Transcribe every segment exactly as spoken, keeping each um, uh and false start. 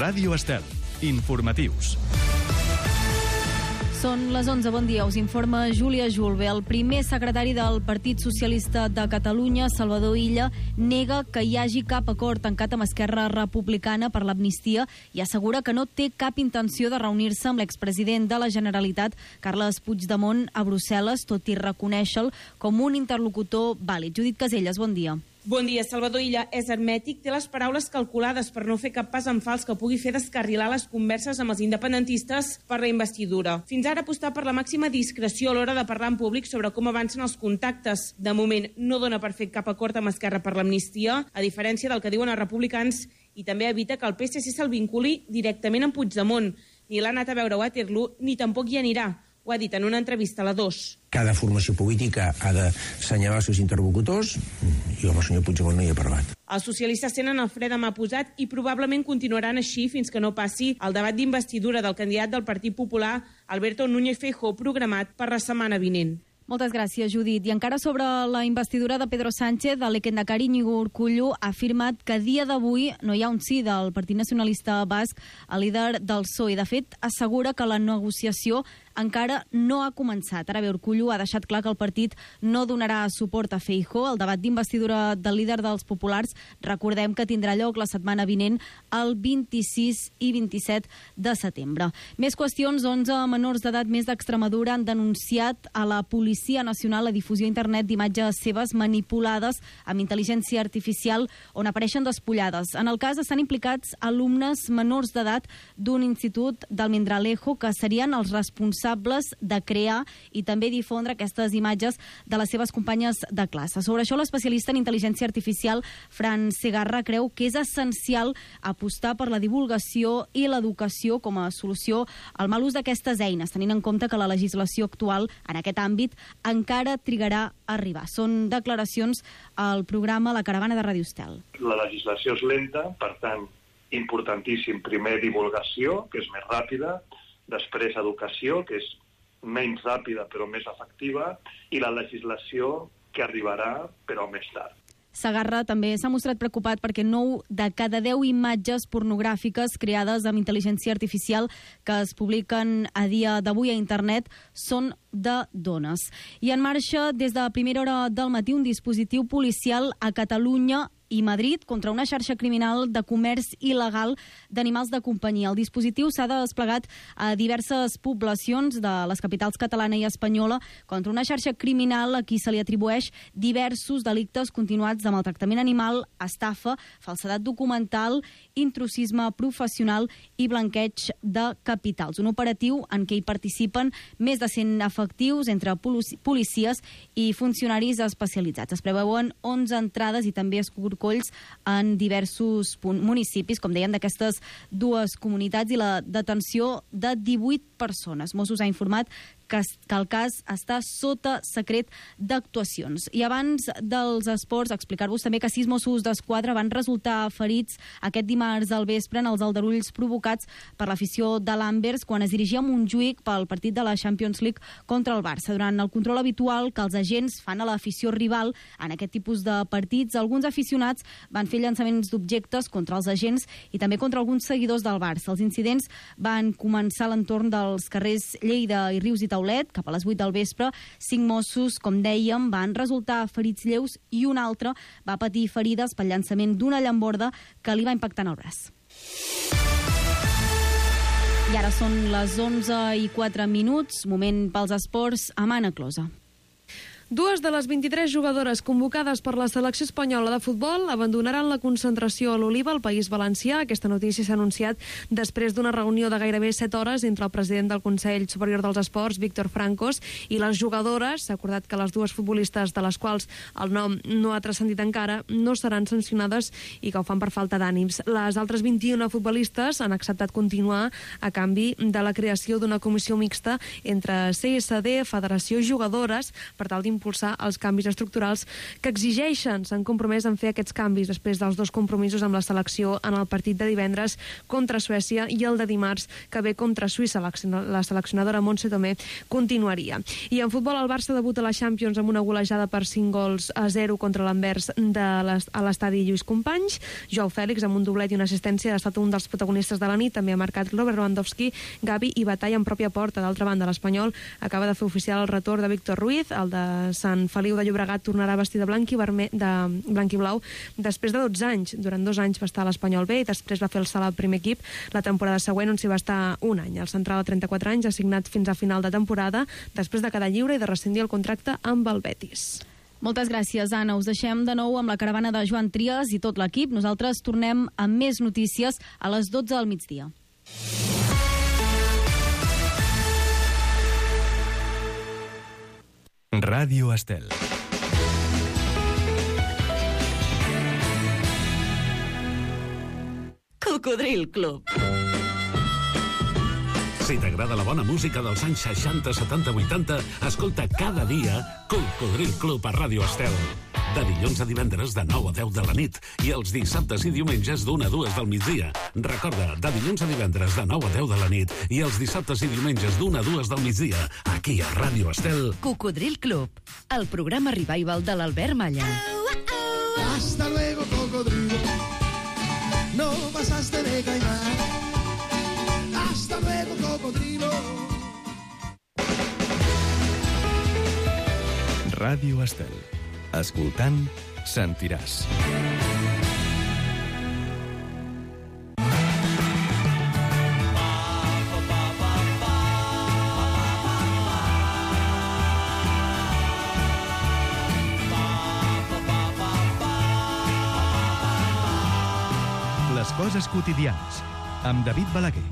Ràdio Estel. Informatius. Són les onze, bon dia, us informa Júlia Julve. El primer secretari del Partit Socialista de Catalunya, Salvador Illa, nega que hi hagi cap acord tancat amb Esquerra Republicana per l'amnistia i assegura que no té cap intenció de reunir-se amb l'expresident de la Generalitat, Carles Puigdemont, a Brussel·les, tot i reconèixer-lo com un interlocutor vàlid. Judit Caselles, bon dia. Bon dia. Salvador Illa és hermètic, té les paraules calculades per no fer cap pas en fals que pugui fer descarrilar les converses amb els independentistes per la investidura. Fins ara apostar per la màxima discreció a l'hora de parlar en públic sobre com avancen els contactes. De moment no dona per fer cap acord amb Esquerra per l'amnistia, a diferència del que diuen els republicans, i també evita que el P S C se'l vinculi directament amb Puigdemont. Ni l'ha anat a veure a Waterloo, ni tampoc hi anirà. Ho ha dit en una entrevista a la dos. Cada formació política ha d'assenyalar els seus interlocutors i amb el senyor Puigdemont no hi he parlat. Els socialistes tenen el fre de mà posat i probablement continuaran així fins que no passi el debat d'investidura del candidat del Partit Popular, Alberto Núñez Feijóo, programat per la setmana vinent. Moltes gràcies, Judit. I encara sobre la investidura de Pedro Sánchez, el lehendakari Iñigo Urkullu ha afirmat que a dia d'avui no hi ha un sí del Partit Nacionalista Basc, el líder del P S O E. De fet, assegura que la negociació encara no ha començat. Ara bé, Urkullu ha deixat clar que el partit no donarà suport a Feijóo. El debat d'investidura del líder dels populars, recordem que tindrà lloc la setmana vinent, el vint-i-sis i vint-i-set de setembre. Més qüestions. onze menors d'edat més d'Extremadura han denunciat a la Policia Nacional la difusió a internet d'imatges seves manipulades amb intel·ligència artificial on apareixen despullades. En el cas estan implicats alumnes menors d'edat d'un institut d'Almendralejo que serien els responsables de crear i també difondre aquestes imatges de les seves companyes de classe. Sobre això, l'especialista en intel·ligència artificial, Fran Segarra, creu que és essencial apostar per la divulgació i l'educació com a solució al mal ús d'aquestes eines, tenint en compte que la legislació actual en aquest àmbit encara trigarà a arribar. Són declaracions al programa La Caravana de Ràdio Estel. La legislació és lenta, per tant, importantíssim. Primer, divulgació, que és més ràpida, després, educació, que és menys ràpida però més efectiva, i la legislació que arribarà però més tard. Segarra també s'ha mostrat preocupat perquè nou de cada deu imatges pornogràfiques creades amb intel·ligència artificial que es publiquen a dia d'avui a internet són de dones. I en marxa des de primera hora del matí un dispositiu policial a Catalunya i Madrid contra una xarxa criminal de comerç il·legal d'animals de companyia. El dispositiu s'ha desplegat a diverses poblacions de les capitals catalana i espanyola contra una xarxa criminal a qui se li atribueix diversos delictes continuats de maltractament animal, estafa, falsedat documental, intrusisme professional i blanqueig de capitals. Un operatiu en què hi participen més de cent efectius entre policies i funcionaris especialitzats. Es preveuen onze entrades i també escorcolls en diversos municipis, com deien, d'aquestes dues comunitats, i la detenció de divuit persones. Mossos ha informat que, que el cas està sota secret d'actuacions. I abans dels esports, explicar-vos també que sis Mossos d'Esquadra van resultar ferits aquest dimarts al vespre en els aldarulls provocats per l'afició de l'Anvers quan es dirigia a Montjuïc pel partit de la Champions League contra el Barça. Durant el control habitual que els agents fan a l'afició rival en aquest tipus de partits, alguns aficionats van fer llançaments d'objectes contra els agents i també contra alguns seguidors del Barça. Els incidents van començar a l'entorn dels carrers Lleida i Rius i Taulet, cap a les vuit del vespre. Cinc Mossos, com dèiem, van resultar ferits lleus i un altre va patir ferides pel llançament d'una llamborda que li va impactar en el braç. I ara són les onze i quatre minuts, moment pels esports, amb Anna Closa. Dues de les vint-i-tres jugadores convocades per la selecció espanyola de futbol abandonaran la concentració a l'Oliva, al País Valencià. Aquesta notícia s'ha anunciat després d'una reunió de gairebé set hores entre el president del Consell Superior dels Esports, Víctor Francos, i les jugadores. S'ha acordat que les dues futbolistes, de les quals el nom no ha transcendit encara, no seran sancionades i que ho fan per falta d'ànims. Les altres vint-i-una futbolistes han acceptat continuar a canvi de la creació d'una comissió mixta entre C S D, Federació i jugadores per tal d'impulsar impulsar els canvis estructurals que exigeixen. S'han compromès en fer aquests canvis després dels dos compromisos amb la selecció en el partit de divendres contra Suècia i el de dimarts que ve contra Suïssa. La seleccionadora Montse Tomé continuaria. I en futbol, el Barça debuta a la Champions amb una golejada per cinc gols a zero contra l'Anvers de a l'estadi Lluís Companys. Joao Fèlix, amb un doblet i una assistència, ha estat un dels protagonistes de la nit. També ha marcat Robert Lewandowski, Gavi i Batalla en pròpia porta. D'altra banda, l'Espanyol acaba de fer oficial el retorn de Víctor Ruiz. El de Sant Feliu de Llobregat tornarà vestit de blanc i, verme, de blanc i blau després de dotze anys. Durant dos anys va estar a l'Espanyol B i després va fer el salt al primer equip la temporada següent, on s'hi va estar un any. El central de trenta-quatre anys ha signat fins a final de temporada després de quedar lliure i de rescindir el contracte amb el Betis. Moltes gràcies, Anna. Us deixem de nou amb la caravana de Joan Trias i tot l'equip. Nosaltres tornem amb més notícies a les dotze del migdia. Ràdio Estel. Cocodril Club. Si t'agrada la bona música dels anys seixanta, setanta, vuitanta, escolta cada dia Cocodril Club a Ràdio Estel. De dilluns a divendres de nou a deu de la nit i els dissabtes i diumenges d'una a dues del migdia. Recorda, de dilluns a divendres de nou a deu de la nit i els dissabtes i diumenges d'una a dues del migdia, aquí a Ràdio Estel. Cocodril Club, el programa revival de l'Albert Malla. Hasta luego, cocodrilo. No pasaste de caimán. Hasta luego, cocodrilo. Ràdio Estel. Escoltant, sentiràs. Les coses quotidianes, amb David Balaguer.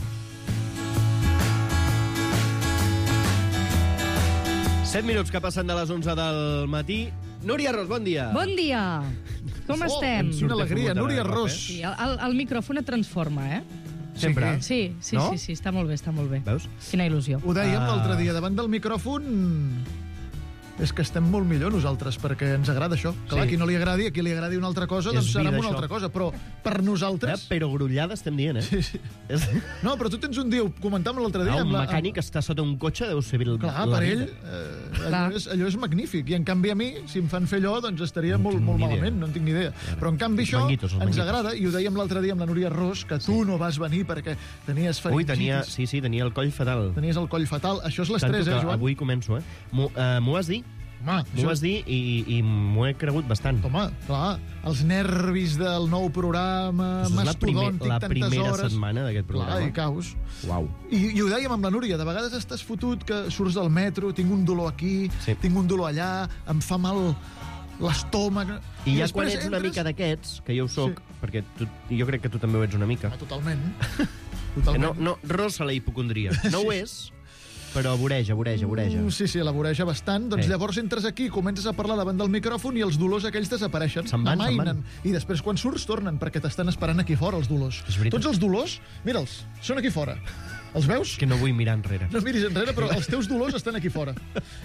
set minuts que passen de les onze del matí. Núria Ros, bon dia. Bon dia. Com Oh, estem? quina alegria, Núria Ros. Sí, el, el micròfon et transforma, eh? Sempre? Sí, sí, No? sí, sí, està molt bé, està molt bé. Veus? Quina il·lusió. Ho dèiem Ah. l'altre dia, davant del micròfon és que estem molt millor nosaltres, perquè ens agrada això. Clar, Sí. a qui no li agradi, a qui li agradi una altra cosa, És doncs serà vida, una això. altra cosa. Però per nosaltres... Eh, però grullada estem dient, eh? Sí, sí. És... No, però tu tens un dia, ho comentàvem l'altre dia... Ah, un amb la- mecànic que està sota un cotxe deu ser... El, Clar, per ell, eh, allò, és, allò és magnífic. I en canvi a mi, si em fan fer allò, doncs estaria No molt, tinc molt ni idea. malament, no en tinc ni idea. Però en canvi Els això manguitos, els ens manguitos. agrada, i ho dèiem l'altre dia amb la Núria Ros, que tu no vas venir perquè tenies Ui, faringitis. tenia, sí, sí, tenia el coll fatal. Tenies el coll fatal. Això és l'estrès, Tanto eh, que Joan? avui començo, eh? M'ho eh, m'ho vas dir? Home, M'ho vas dir i, i m'ho he cregut bastant. Home, clar, els nervis del nou programa, És la, primer, mastodòntic, la tantes primera hores... setmana d'aquest programa. Clar, i caus. Uau. I, I ho dèiem amb la Núria, de vegades estàs fotut que surts del metro, tinc un dolor aquí, Sí. tinc un dolor allà, em fa mal l'estómac... I ja després quan ets una entres- mica d'aquests, que jo ho soc, Sí. perquè tu, jo crec que tu també ho ets una mica, Ah, totalment. que totalment. no, no rossa la hipocondria. No ho és, però voreja, voreja, voreja. Mm, Sí, sí, la voreja bastant. Doncs Sí. llavors entres aquí, comences a parlar davant del micròfon i els dolors aquells desapareixen. Se'n van, se'n van. Amainen. I després, quan surts, tornen, perquè t'estan esperant aquí fora, els dolors. És veritat. Tots els dolors, mira'ls, són aquí fora. Els veus? Que no vull mirar enrere. No miris enrere, però els teus dolors estan aquí fora.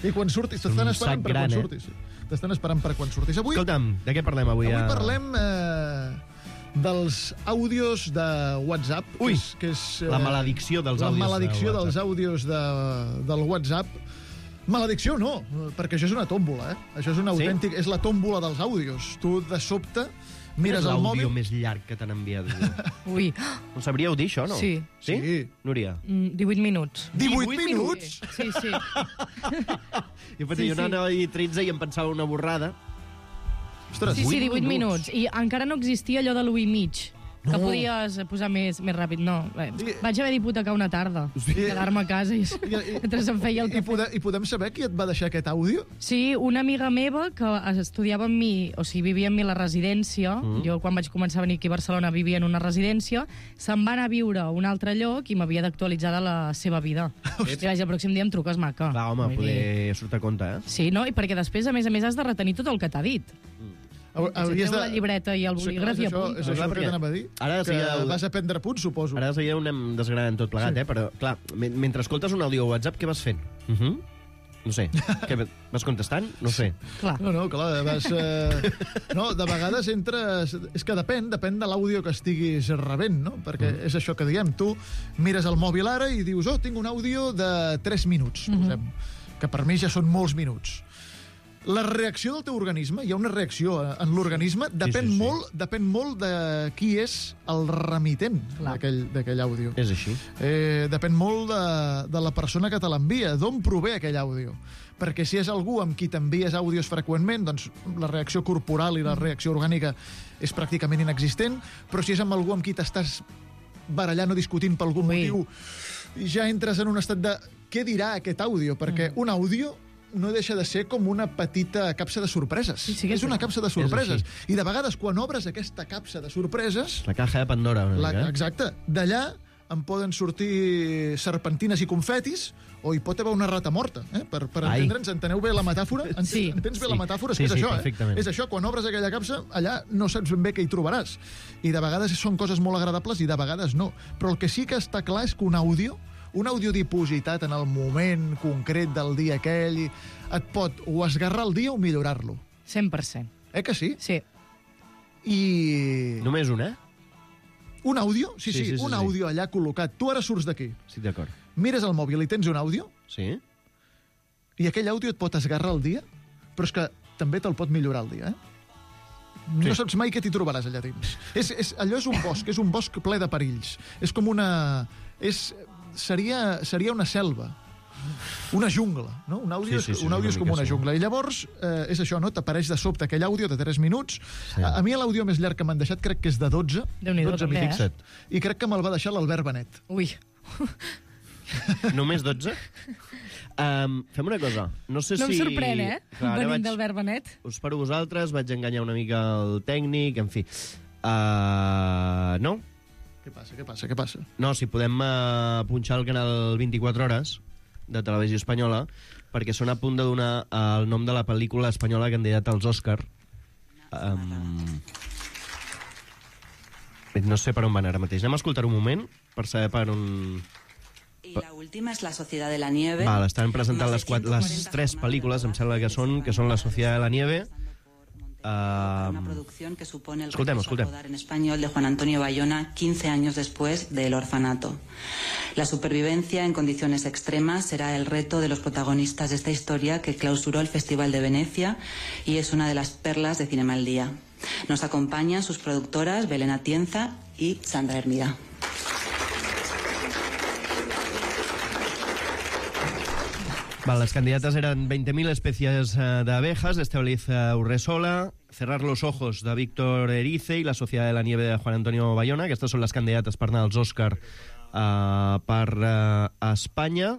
I quan surtis, t'estan Un esperant sac per gran, quan eh? surtis. T'estan esperant per quan surtis. Avui, Escolta'm, de què parlem avui? avui a- parlem eh, dels àudios de WhatsApp. Ui, que és, que és, eh, la maledicció dels la àudios de maledicció WhatsApp. dels àudios de, del WhatsApp. Maledicció no, perquè això és una tòmbola, eh? Això és un Sí? autèntic... És la tòmbola dels àudios. Tu, de sobte, Quin mires és el l'àudio mòbil... més llarg que t'han enviat? Ui, Ho sabríeu dir, això, no? Sí. Sí? Sí. Núria? mm, divuit minuts. divuit minuts? Sí, sí. Jo, Sí, jo sí. anava a dir tretze i em pensava una borrada. Ostres, Sí, sí, divuit minuts. minuts. I encara no existia allò de l'u i mig. Que No. podies posar més, més ràpid. No, eh, vaig haver d'hipotecar una tarda. Quedar-me a casa i, I- i- mentre se'm feia el I, cafè. pode, I podem saber qui et va deixar aquest àudio? Sí, una amiga meva que estudiava amb mi, o sigui, vivia amb mi a la residència, Mm. jo quan vaig començar a venir aquí a Barcelona vivia en una residència, se'n va anar a viure a un altre lloc i m'havia d'actualitzar de la seva vida. I vaig, el pròxim dia em truques, maca. Clar, home, Vull dir- poder surt a compte, eh? Sí, no? I perquè després, a més a més, has de retenir tot el que t'ha dit. Hau- Hauries de... la llibreta i el Sí, bolígraf és i això, apunta. és això Clar, que perquè t'anava a dir. ara de que seguida- vas a prendre punts, suposo. Ara de seguida ho anem desgranant tot plegat, Sí. eh? Però, clar, me- mentre escoltes un àudio a WhatsApp, què vas fent? Uh -huh. No sé. Què, vas contestant? No sé. Clar. No, no, clar, vas... Eh... No, de vegades entres... És que depèn, depèn de l'àudio que estiguis rebent, no? Perquè mm. és això que diem. Tu mires el mòbil ara i dius, oh, tinc un àudio de tres minuts, mm-hmm. posem, que per mi ja són molts minuts. La reacció del teu organisme, hi ha una reacció en l'organisme, depèn, sí, sí, sí. molt, depèn molt de qui és el remitent d'aquell àudio. És així. Eh, depèn molt de, de la persona que te l'envia, d'on prové aquell àudio. Perquè si és algú amb qui t'envies àudios freqüentment, doncs la reacció corporal i la reacció orgànica és pràcticament inexistent, però si és amb algú amb qui t'estàs barallant o discutint per algun Ui. motiu, ja entres en un estat de què dirà aquest àudio, perquè mm. un àudio no deixa de ser com una petita capsa de sorpreses. Sí, sí, és una capsa de sorpreses. I de vegades, quan obres aquesta capsa de sorpreses... La caja de Pandora. La, exacte. D'allà en poden sortir serpentines i confetis, o hi pot haver una rata morta. Eh? Per, per entendre'ns, enteneu bé la metàfora? Entens, sí. entens bé sí. la metàfora? És sí, que és sí, això, eh? És això, quan obres aquella capsa, allà no saps ben bé què hi trobaràs. I de vegades són coses molt agradables i de vegades no. Però el que sí que està clar és que un àudio un àudio dipositat en el moment concret del dia aquell et pot o esgarrar el dia o millorar-lo. cent per cent. Eh que sí? Sí. I... Només un, eh? Un àudio? Sí, sí, sí, sí, sí un sí, àudio allà col·locat. Tu ara surts d'aquí. Sí, d'acord. Mires el mòbil i tens un àudio? Sí. I aquell àudio et pot esgarrar el dia, però és que també te'l pot millorar el dia, eh? No sí. saps mai què t'hi trobaràs allà dins. És, és, allò és un bosc, és un bosc ple de perills. És com una... És... Seria, seria una selva, una jungla, no? Un àudio, sí, sí, sí, un àudio és com una jungla. I llavors, eh, és això, no? T'apareix de sobte aquell àudio de tres minuts. Sí. A, a mi l'àudio més llarg que m'han deixat crec que és de dotze. dotze minuts. Eh? I crec que me'l va deixar l'Albert Benet. Ui. Només dotze? Um, fem una cosa. No sé no si... em sorprèn, eh? Clar, venint vaig... d'Albert Benet. Us paro vosaltres, vaig enganyar una mica el tècnic, en fi. Uh, no? Què passa, què passa, què passa? No, si podem uh, punxar el canal vint-i-quatre hores de Televisió Espanyola, perquè són a punt de donar uh, el nom de la pel·lícula espanyola candidata als Òscar. Um... No sé per on van ara mateix. Anem a escoltar un moment per saber per on... Y la última es La Sociedad de la Nieve. Val, estan presentant les, quatre, les tres pel·lícules, em sembla que són, que són La Sociedad de la Nieve... Uh, una producción que supone el escoltem, escoltem. rodar en español de Juan Antonio Bayona quince años después del orfanato. La supervivencia en condiciones extremas será el reto de los protagonistas de esta historia que clausuró el Festival de Venecia y es una de las perlas de Cinema al Día. Nos acompañan sus productoras Belén Atienza y Sandra Hermida. Vale, las candidatas eran veinte mil especies uh, de abejas, de Estebaliz uh, Urresola, Cerrar los ojos, de Víctor Erice, y La Sociedad de la Nieve, de Juan Antonio Bayona. Aquestes són les candidates per anar als Òscar uh, per uh, Espanya.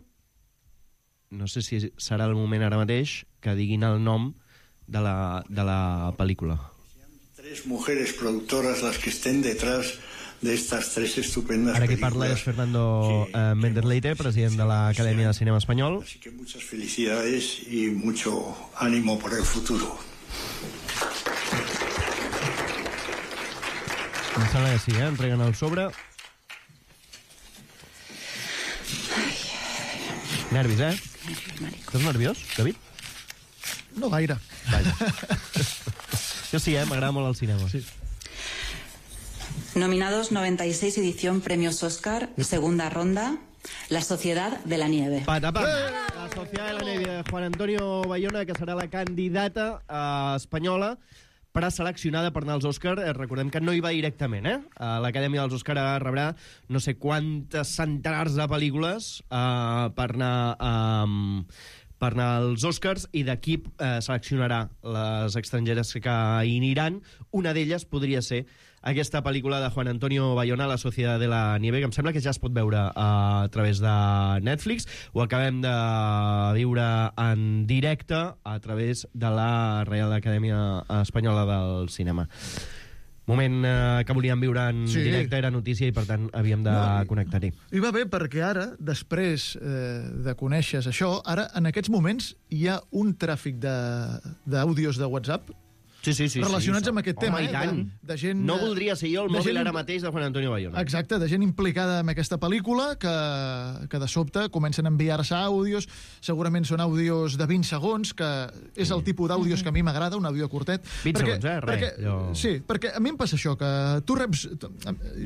No sé si serà el moment ara mateix que diguin el nom de la, de la pel·lícula. Tres mujeres productoras las que estén detrás de estas tres estupendas Ara que películas. parla és Fernando uh, Méndez Leite, president de la Academia de Cinema Espanyol. Así que muchas felicidades y mucho ánimo por el futuro. Em sembla que sí, eh? Entreguen el sobre. Nervis, eh? Estàs nerviós, David? No gaire. Vaja. Jo sí, eh? M'agrada molt el cinema. Sí. Nominados noventa y seis edición Premios Oscar, segunda ronda, La Sociedad de la Nieve. Patapam! La Sociedad de la Nieve de Juan Antonio Bayona, que serà la candidata eh, espanyola preseleccionada per anar als Òscar. Eh, recordem que no hi va directament, eh? eh L'Acadèmia dels Òscar rebrà no sé quantes centenars de pel·lícules eh, per anar... Eh, per anar als Òscars, i d'aquí eh, seleccionarà les estrangeres que hi aniran. Una d'elles podria ser aquesta pel·lícula de Juan Antonio Bayona, La Sociedad de la Nieve, que em sembla que ja es pot veure eh, a través de Netflix. Ho acabem de viure en directe a través de la Reial Acadèmia Espanyola del Cinema. Moment eh, que volíem viure en sí. directe, era notícia, i per tant havíem de no, connectar-hi. I va bé perquè ara, després eh, de conèixer això, ara en aquests moments hi ha un tràfic d'àudios de, de WhatsApp sí, sí, sí, relacionats sí, amb aquest tema. Home, i tant. De, de gent, no voldria ser jo el mòbil gent, ara mateix de Juan Antonio Bayona. Exacte, de gent implicada en aquesta pel·lícula que, que de sobte comencen a enviar-se àudios, segurament són àudios de vint segons, que és el tipus d'àudios que a mi m'agrada, un àudio curtet. vint perquè, segons, eh? Res. Perquè, jo... Sí, perquè a mi em passa això, que tu reps...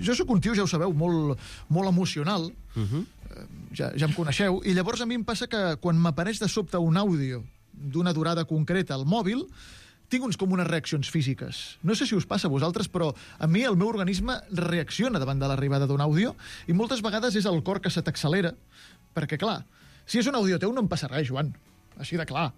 Jo sóc un tio, ja ho sabeu, molt, molt emocional, uh -huh. ja, ja em coneixeu, i llavors a mi em passa que quan m'apareix de sobte un àudio d'una durada concreta al mòbil, tinc uns com unes reaccions físiques. No sé si us passa a vosaltres, però a mi el meu organisme reacciona davant de l'arribada d'un àudio i moltes vegades és el cor que se t'accelera, perquè, clar, si és un àudio teu no em passa res, Joan, així de clar.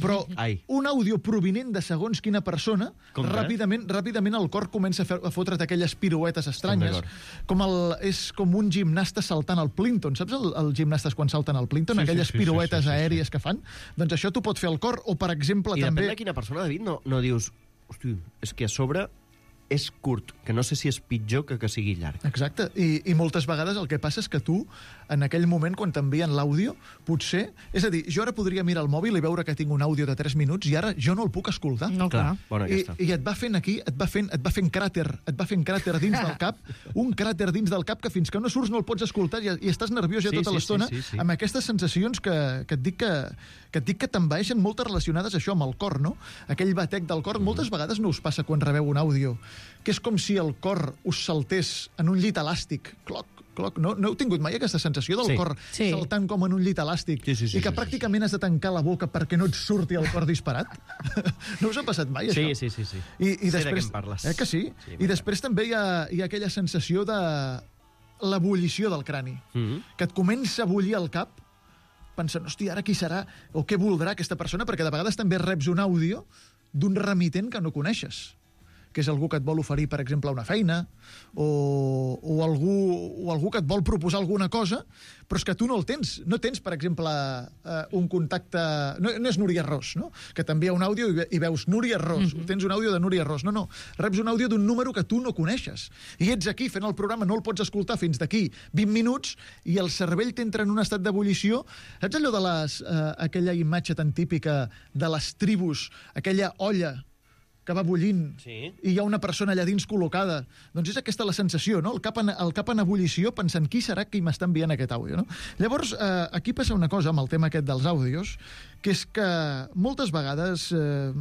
Però Ai. un àudio provinent de segons quina persona, ràpidament, ràpidament el cor comença a, fer, a fotre't aquelles piruetes estranyes, com el, és com un gimnasta saltant al Plinton. Saps el, els gimnastes quan salten al Plinton? Sí, aquelles sí, sí, piruetes sí, sí, sí, aèries sí. que fan? Doncs això t'ho pot fer el cor, o per exemple I també... I depèn de quina persona, David, no, no dius... Hosti, és que a sobre és curt, que no sé si és pitjor que que sigui llarg. Exacte, I, i moltes vegades el que passa és que tu, en aquell moment, quan t'envien l'àudio, potser... És a dir, jo ara podria mirar el mòbil i veure que tinc un àudio de tres minuts i ara jo no el puc escoltar. No, clar. Bona I, aquesta. I et va fent aquí, et va fent, et va fent cràter, et va fent cràter dins del cap, un cràter dins del cap que fins que no surts no el pots escoltar i, i estàs nerviós ja Sí, tota sí, l'estona sí, sí, sí. amb aquestes sensacions que, que et dic que, que et dic que t'envaeixen, moltes relacionades a això, amb el cor, no? Aquell batec del cor, moltes vegades no us passa quan rebeu un àudio, que és com si el cor us saltés en un llit elàstic, cloc, cloc. No, no heu tingut mai aquesta sensació del Sí. cor Sí. saltant com en un llit elàstic Sí, sí, sí, i que sí, sí, pràcticament has de tancar la boca perquè no et surti el cor disparat? No us ha passat mai, Sí, això? sí, sí, sí. I, i Sé de després, què em parles. Eh que sí? Sí, I després també hi ha, hi ha aquella sensació de l'ebullició del crani, Mm -hmm. que et comença a bullir el cap pensant, hòstia, ara qui serà o què voldrà aquesta persona, perquè de vegades també reps un àudio d'un remitent que no coneixes, que és algú que et vol oferir, per exemple, una feina, o, o, algú, o algú que et vol proposar alguna cosa, però és que tu no el tens. No tens, per exemple, eh, un contacte... No, no és Núria Ros, no? Que t'envia un àudio i, ve, i veus Núria Ros, mm -hmm. tens un àudio de Núria Ros. No, no, reps un àudio d'un número que tu no coneixes. I ets aquí fent el programa, no el pots escoltar fins d'aquí vint minuts i el cervell t'entra en un estat d'ebullició. Saps allò de les, eh, aquella imatge tan típica de les tribus, aquella olla que va bullint, Sí. i hi ha una persona allà dins col·locada. Doncs és aquesta la sensació, no? El cap en, el cap en ebullició, pensant qui serà qui m'està enviant aquest àudio, no? Llavors, eh, aquí passa una cosa amb el tema aquest dels àudios, que és que moltes vegades, eh,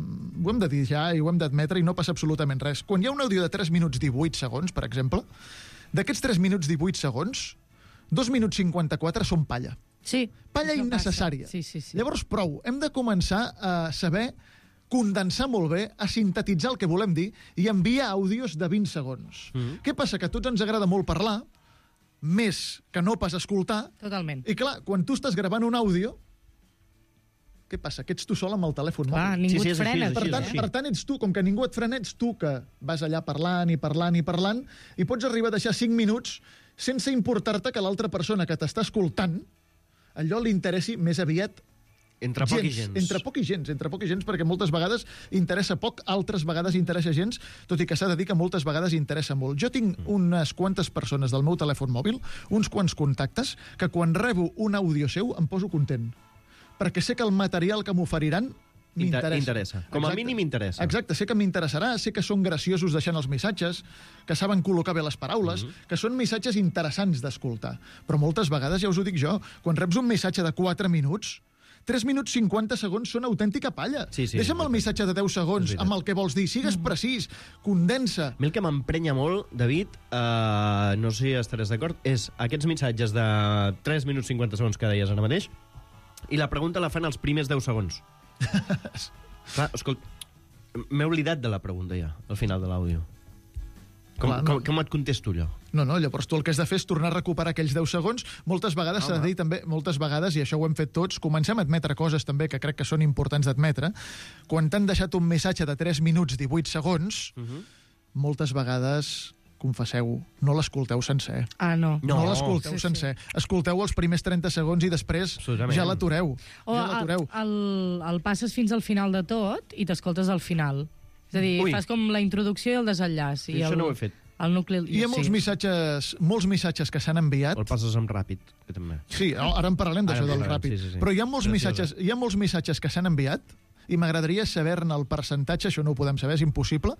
ho hem de dir ja i ho hem d'admetre i no passa absolutament res. Quan hi ha un àudio de tres minuts divuit segons, per exemple, d'aquests tres minuts divuit segons, dos minuts cinquanta-quatre són palla. Sí. Palla innecessària. Sí, sí, sí. Llavors, prou. Hem de començar a saber condensar molt bé, a sintetitzar el que volem dir i enviar àudios de vint segons. Mm. Què passa? Que a tots ens agrada molt parlar, més que no pas escoltar. Totalment. I clar, quan tu estàs gravant un àudio, què passa? Que ets tu sol amb el telèfon Clar, mòbil. ningú Sí, sí, et és així, frena. és Per així, tant, és així. per tant, ets tu, com que ningú et frena, ets tu que vas allà parlant i parlant i parlant i pots arribar a deixar cinc minuts sense importar-te que l'altra persona que t'està escoltant allò li interessi més aviat Entre poc i gens. Entre poc i gens, entre poc i gens, perquè moltes vegades interessa poc, altres vegades interessa gens, tot i que s'ha de dir que moltes vegades interessa molt. Jo tinc unes quantes persones del meu telèfon mòbil, uns quants contactes, que quan rebo un àudio seu em poso content, perquè sé que el material que m'oferiran m'interessa. Interessa. Com a Exacte. mínim interessa. Exacte, sé que m'interessarà, sé que són graciosos deixant els missatges, que saben col·locar bé les paraules, mm-hmm. que són missatges interessants d'escoltar. Però moltes vegades, ja us ho dic jo, quan reps un missatge de quatre minuts, tres minuts cinquanta segons són autèntica palla. Sí, sí, Deixa'm el missatge de deu segons amb el que vols dir. Sigues precís, condensa. A mi el que m'emprenya molt, David, uh, no sé si estaràs d'acord, és aquests missatges de tres minuts cinquanta segons que deies ara mateix, i la pregunta la fan els primers deu segons. Clar, escolta, m'he oblidat de la pregunta ja, al final de l'àudio. Com, Clar, no. com, com et contesto allò? No, no, llavors tu el que has de fer és tornar a recuperar aquells deu segons. Moltes vegades s'ha de dir també, moltes vegades, i això ho hem fet tots, comencem a admetre coses també que crec que són importants d'admetre. Quan t'han deixat un missatge de tres minuts divuit segons, uh -huh. moltes vegades, confesseu, no l'escolteu sencer. Ah, no. No, No. no l'escolteu Sí, sí. sencer. Escolteu els primers trenta segons i després ja l'atureu. O Ja l'atureu. el, el, el passes fins al final de tot i t'escoltes al final. És a dir, Ui. fas com la introducció i el desenllaç. I Això el, no ho he fet. El nucli... Hi ha molts, sí. missatges, molts missatges que s'han enviat. O el passes amb ràpid, que també. Sí, ara en parlarem d'això Ara en del parlarem, ràpid. sí, sí, sí. Però hi ha molts Graciosa. missatges, hi ha molts missatges que s'han enviat i m'agradaria saber-ne el percentatge, això no ho podem saber, és impossible,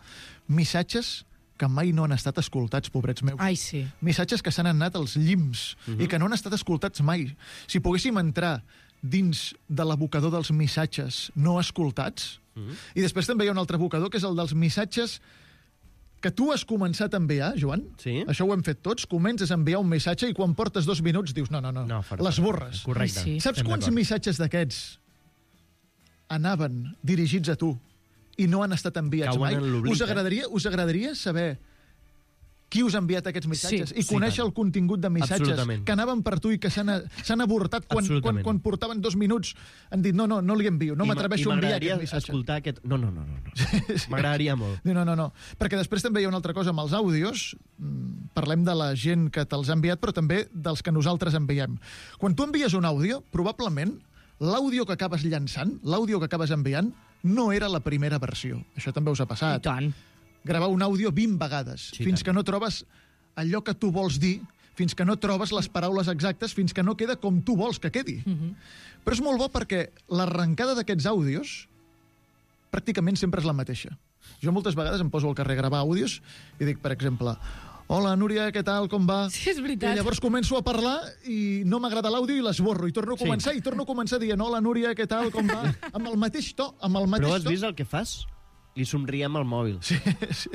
missatges que mai no han estat escoltats, pobrets meus. Ai, sí. Missatges que s'han anat als llims uh-huh. i que no han estat escoltats mai. Si poguéssim entrar dins de l'abocador dels missatges no escoltats, uh-huh. i després també hi ha un altre abocador, que és el dels missatges que tu has començat a enviar, Joan. Sí. Això ho hem fet tots. Comences a enviar un missatge i quan portes dos minuts dius no, no, no, no l'esborres. Correcte. Sí. Saps quants missatges d'aquests anaven dirigits a tu i no han estat enviats mai? Us agradaria, us agradaria saber qui us ha enviat aquests missatges Sí, i conèixer sí, el contingut de missatges Absolutament. que anaven per tu i que s'han s'han avortat quan, quan, Absolutament. quan portaven dos minuts han dit no, no, no li envio, no I m'atreveixo ma- a i enviar m'agradaria aquest missatge. escoltar aquest... No, no, no, no. no. M'agradaria molt. No, no, no. Perquè després també hi ha una altra cosa amb els àudios. Mm, Parlem de la gent que te'ls ha enviat, però també dels que nosaltres enviem. Quan tu envies un àudio, probablement l'àudio que acabes llançant, l'àudio que acabes enviant, no era la primera versió. Això també us ha passat. I tant. Gravar un àudio vint vegades, Sí, fins tant. que no trobes allò que tu vols dir, fins que no trobes les paraules exactes, fins que no queda com tu vols que quedi. Mhm. Però és molt bo perquè l'arrencada d'aquests àudios pràcticament sempre és la mateixa. Jo moltes vegades em poso al carrer a gravar àudios i dic, per exemple, hola, Núria, què tal, com va? Sí, és veritat. I llavors començo a parlar i no m'agrada l'àudio i l'esborro, i torno a Sí. començar, i torno a començar dient, hola, Núria, què tal, com va? Amb el mateix to, amb el mateix Però has to. vist el que fas? Li somriem al mòbil. Sí, sí.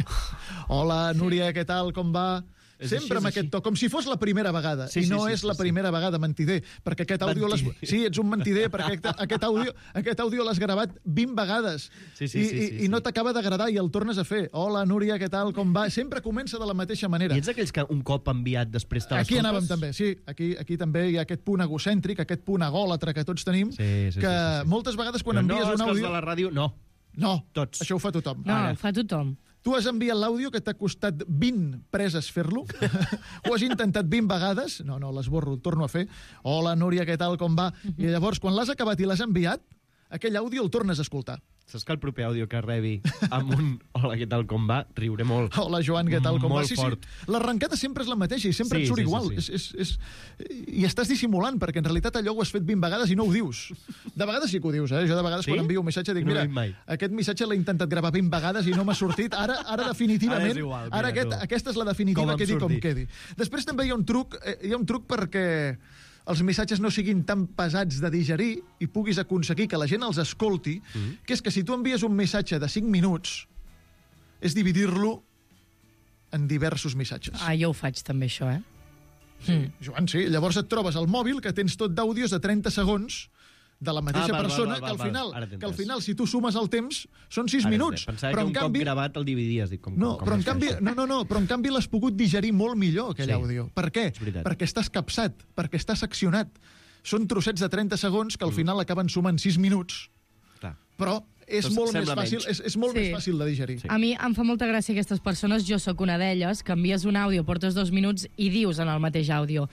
Hola, Núria, què tal, com va? És Sempre així, amb és aquest to, com si fos la primera vegada. Sí, I sí, no sí, és sí, la sí. primera vegada, mentider, perquè aquest àudio... l'has- Mentider. Sí, ets un mentider, perquè aquest, aquest àudio, aquest àudio l'has gravat vint vegades. Sí, sí, I, sí, i, sí, i no sí. t'acaba d'agradar i el tornes a fer. Hola, Núria, què tal, com va? Sempre comença de la mateixa manera. I ets aquells que un cop enviat després te Aquí l'escoltes? anàvem també, sí. Aquí, aquí també hi ha aquest punt egocèntric, aquest punt egòlatre que tots tenim, Sí, sí, que sí, sí, sí. moltes vegades quan Però envies no, un és que els àudio... de la ràdio, no. No, Tots. això ho fa tothom. No, Ara. ho fa tothom. Tu has enviat l'àudio que t'ha costat vint preses fer-lo? Ho has intentat vint vegades? No, no, l'esborro, el torno a fer. Hola, Núria, què tal, com va? I llavors, quan l'has acabat i l'has enviat, aquell àudio el tornes a escoltar. Saps que el proper àudio que rebi amb un hola, què tal, com va, riuré molt. Hola, Joan, què tal, com va? Molt Sí, fort. sí. L'arrencada sempre és la mateixa i sempre Sí, et surt sí, sí, igual. sí. És, és, és... I estàs dissimulant, perquè en realitat allò ho has fet vint vegades i no ho dius. De vegades sí que ho dius, eh? Jo de vegades Sí? quan envio un missatge dic, No ho mira, he dit mai. aquest missatge l'he intentat gravar vint vegades i no m'ha sortit. Ara, ara definitivament, Ara és igual, mira, ara aquest, tu. aquesta és la Com definitiva, em quedi com surti. quedi. Després també hi ha un truc, eh, hi ha un truc perquè els missatges no siguin tan pesats de digerir i puguis aconseguir que la gent els escolti, Mm. que és que si tu envies un missatge de cinc minuts, és dividir-lo en diversos missatges. Ah, jo ho faig també, això, eh? Sí, Joan, sí. Llavors et trobes al mòbil que tens tot d'àudios de trenta segons de la mateixa Ah, val, persona, val, val, que, al val, final, ara t'he que al entès. final, si tu sumes el temps, són sis Ara, minuts. Pensava Però que en un canvi... cop gravat el dividies. Dic, com, No, com però en es fa canvi, això? no, no, no, però en canvi l'has pogut digerir molt millor, aquell Sí. àudio. Per què? És veritat. Perquè estàs capsat, perquè estàs seccionat. Són trossets de trenta segons que al final acaben sumant sis minuts, Clar. però és Doncs molt, més sembla fàcil, menys. és, és molt Sí. més fàcil de digerir. A mi em fa molta gràcia aquestes persones, jo sóc una d'elles, que envies un àudio, portes dos minuts i dius en el mateix àudio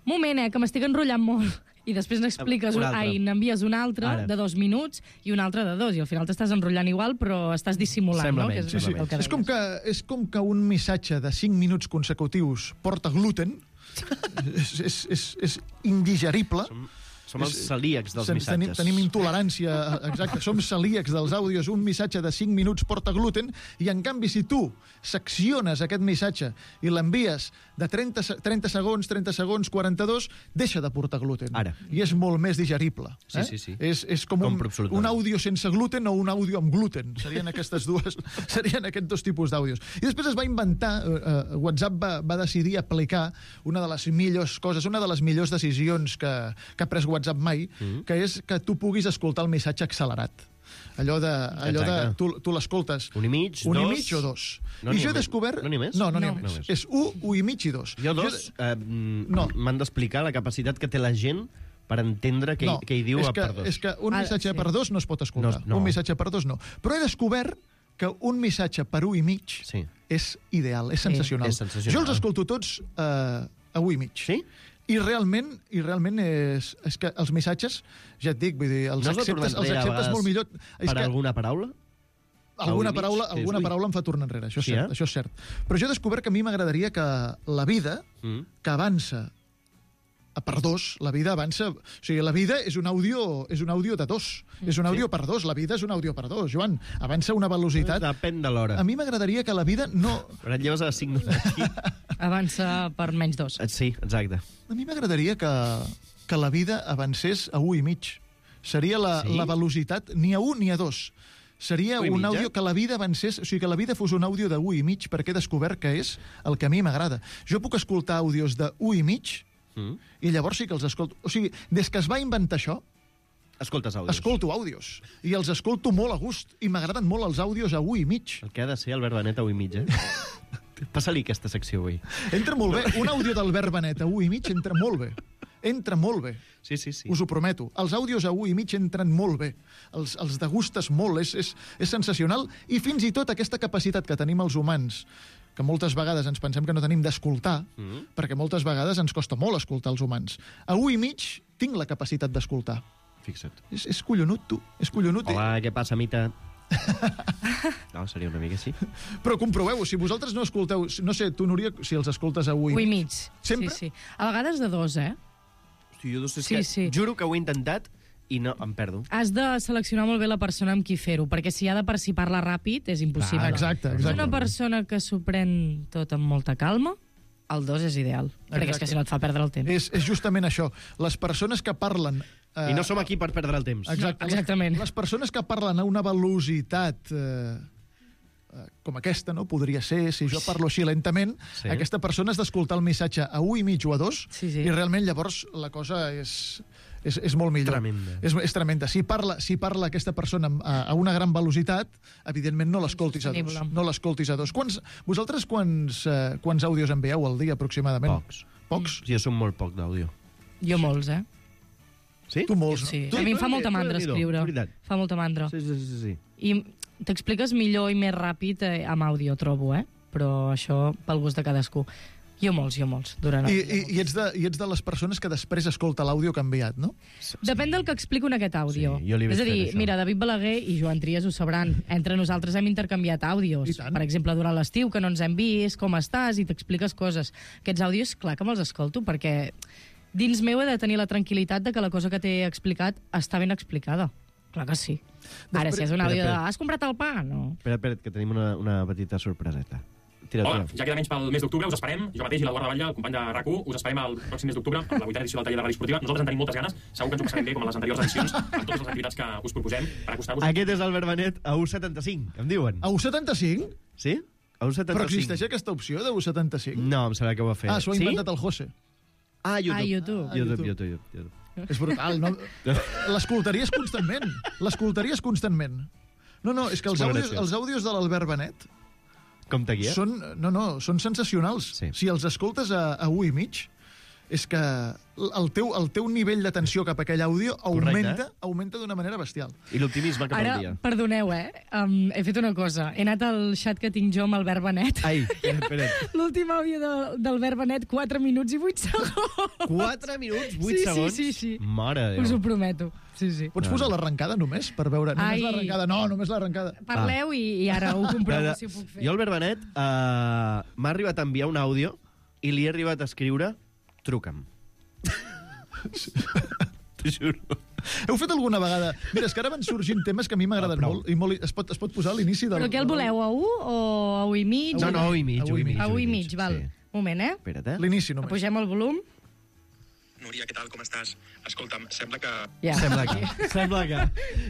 moment, eh, que m'estic enrotllant molt. I després n'expliques, Un un, altre. ai, n'envies un altre Ara. de dos minuts i un altre de dos, i al final t'estàs enrotllant igual, però estàs dissimulant, Sembla no? menys, Que és, Sí, sí. el que És, com que, és com que un missatge de cinc minuts consecutius porta gluten, és, és, és, és indigerible. Som, som els celíacs dels Sen- missatges. Tenim, tenim intolerància, exacte, som celíacs dels àudios. Un missatge de cinc minuts porta gluten i, en canvi, si tu secciones aquest missatge i l'envies de trenta, se- trenta segons, trenta segons, quaranta-dos, deixa de portar gluten. Ara. I és molt més digerible. Sí, eh? sí, sí. És, és com un, Compro absolutament. un àudio sense gluten o un àudio amb gluten. Serien aquestes dues, serien aquests dos tipus d'àudios. I després es va inventar, eh, eh, WhatsApp va, va decidir aplicar una de les millors coses, una de les millors decisions que, que ha pres WhatsApp mai, mm. que és que tu puguis escoltar el missatge accelerat. Allò de, allò de Exacte. tu, tu l'escoltes Un i mig, un dos... i mig o dos. No I n'hi jo ha he més. descobert... No n'hi ha més? No, no n'hi ha No. més. No més. És un, un i mig i dos. Jo dos eh, No. m'han d'explicar la capacitat que té la gent per entendre què, no, què hi diu és a que, per dos. És que un Ah, missatge sí. per dos no es pot escoltar. No, no. Un missatge per dos no. Però he descobert que un missatge per un i mig Sí. és ideal, és sensacional. és sensacional. Jo els escolto tots eh, a un i mig. Sí? I realment, i realment és, és que els missatges, ja et dic, vull dir, els No has de tornar acceptes, els enrere a acceptes vegades molt millor. És Per que alguna paraula? alguna a un i mig? paraula, Dius, alguna ui. paraula em fa tornar enrere, això és, Sí, cert, eh? això és cert. Però jo he descobert que a mi m'agradaria que la vida, Mm. que avança per dos, la vida avança... O sigui, la vida és un àudio, és un àudio de dos. Mm, és un àudio sí. per dos, la vida és un àudio per dos. Joan, avança a una velocitat... Depèn de l'hora. A mi m'agradaria que la vida no... Però et lleves a les cinc d'aquí. Avança per menys dos. Sí, exacte. A mi m'agradaria que, que la vida avancés a un i mig. Seria la, sí? la velocitat ni a un ni a dos. Seria un àudio que la vida avancés, o sigui, que la vida fos un àudio de un i mig, perquè he descobert que és el que a mi m'agrada. Jo puc escoltar àudios de un i mig mm. i llavors sí que els escolto. O sigui, des que es va inventar això, escoltes àudios. Escolto àudios. I els escolto molt a gust. I m'agraden molt els àudios a un i mig. El que ha de ser Albert Benet a un i mig, eh? Passa-li aquesta secció avui. Entra molt bé. Un àudio d'Albert Benet a un i mig entra molt bé. Entra molt bé. Sí, sí, sí. Us ho prometo. Els àudios a un i mig entren molt bé. Els, els degustes molt. És, és, és sensacional. I fins i tot aquesta capacitat que tenim els humans, que moltes vegades ens pensem que no tenim d'escoltar, mm-hmm. perquè moltes vegades ens costa molt escoltar els humans. A un i mig tinc la capacitat d'escoltar. Fixa't. És, és collonut, tu. És collonut. Hola, què passa, Mita? No, seria una mica així. Però comproveu, si vosaltres no escolteu... No sé, tu, Núria, si els escoltes a un i mig. Un i mig. Sempre? Sí, sí. A vegades de dos, eh? Hosti, jo dos, és sí, que sí. Juro que ho he intentat i no, em perdo. Has de seleccionar molt bé la persona amb qui fer-ho, perquè si ha de per si parla ràpid és impossible. Ah, exacte, exacte. Una persona que s'ho pren tot amb molta calma, el dos és ideal, exacte. Perquè és que si no et fa perdre el temps. És, és justament això. Les persones que parlen... Eh, I no som aquí per perdre el temps. Exacte. No, exactament. Les, les persones que parlen a una velocitat... Eh, com aquesta, no? Podria ser, si jo parlo així lentament, sí. Aquesta persona has d'escoltar el missatge a un i mig o a dos, sí, sí. I realment llavors la cosa és, és, és molt millor. Tremenda. És, és tremenda. Si parla, si parla aquesta persona a, a una gran velocitat, evidentment no l'escoltis a dos. No l'escoltis a dos. Quants, vosaltres quants, eh, quants àudios envieu al dia, aproximadament? Pocs. Pocs? Sí, jo som molt poc d'àudio. Jo molts, eh? Sí? Tu molts, sí. no? A mi em fa molta mandra escriure. Fa molta mandra. Sí, sí, sí, sí. I t'expliques millor i més ràpid eh, amb àudio, trobo, eh? Però això pel gust de cadascú. Jo molts, jo molts. Durant I, i, i, ets de, I ets de les persones que després escolta l'àudio que ha enviat, no? Depèn del que explico en aquest àudio. Sí, jo li és a dir, això. Mira, David Balaguer i Joan Trias ho sabran. Entre nosaltres hem intercanviat àudios. Per exemple, durant l'estiu, que no ens hem vist, com estàs, i t'expliques coses. Aquests àudios, clar que me'ls escolto, perquè dins meu he de tenir la tranquil·litat de que la cosa que t'he explicat està ben explicada. Clar que sí. Ara, si és un àudio de... Has comprat el pa? No. Espera, espera, que tenim una, una petita sorpreseta. Tira, Hola, tira. ja queda menys pel mes d'octubre, us esperem. Jo mateix i l'Eduard Batlle, el company de RAC u, us esperem el pròxim mes d'octubre, amb la vuitena edició del taller de ràdio esportiva. Nosaltres en tenim moltes ganes, segur que ens ho passarem bé, com en les anteriors edicions, amb totes les activitats que us proposem per acostar-vos. Aquest és Albert Benet a u setanta-cinc, em diuen. A u setanta-cinc? Sí? A u setanta-cinc. Però existeix aquesta opció de u setanta-cinc? No, em sembla que ho va fer. Ah, s'ho ha inventat el José. Ah, YouTube. Ah, YouTube. YouTube, YouTube, YouTube. YouTube. És brutal, no? L'escoltaries constantment. L'escoltaries constantment. No, no, és que els àudios, els àudios de l'Albert Benet... Com t'aguia? Són, no, no, són sensacionals. Sí. Si els escoltes a, a un i mig, és que el teu, el teu nivell d'atenció cap a aquell àudio augmenta, Correcte. augmenta d'una manera bestial. I l'optimisme cap Ara, al dia. perdoneu, eh? Um, he fet una cosa. He anat al xat que tinc jo amb Albert Benet. Ai, espera't, espera't. L'últim àudio de, d'Albert Benet, quatre minuts i vuit segons. quatre minuts, vuit sí, segons? Sí, sí, sí. Mare de Déu. Us ho prometo. Sí, sí. Pots posar l'arrencada només, per veure? Només Ai. l'arrencada. No, només l'arrencada. Parleu i, i ara ho comprovo, Ah. si ho puc fer. Jo, Albert Benet, uh, m'ha arribat a enviar un àudio i li he arribat a escriure truca'm. T'ho juro. Heu fet alguna vegada... Mira, és que ara van sorgint temes que a mi m'agraden Ah, molt, i molt, es, pot, es pot posar a l'inici del... Però què el voleu, a u o a u i mig? No, no, a u i mig. A u i mig. A u i mig, val. Sí. Moment, eh? Espera't, eh? L'inici només. Apugem el volum. Núria, què tal, com estàs? Escolta'm, sembla que... Ja. Sembla que. Sembla que.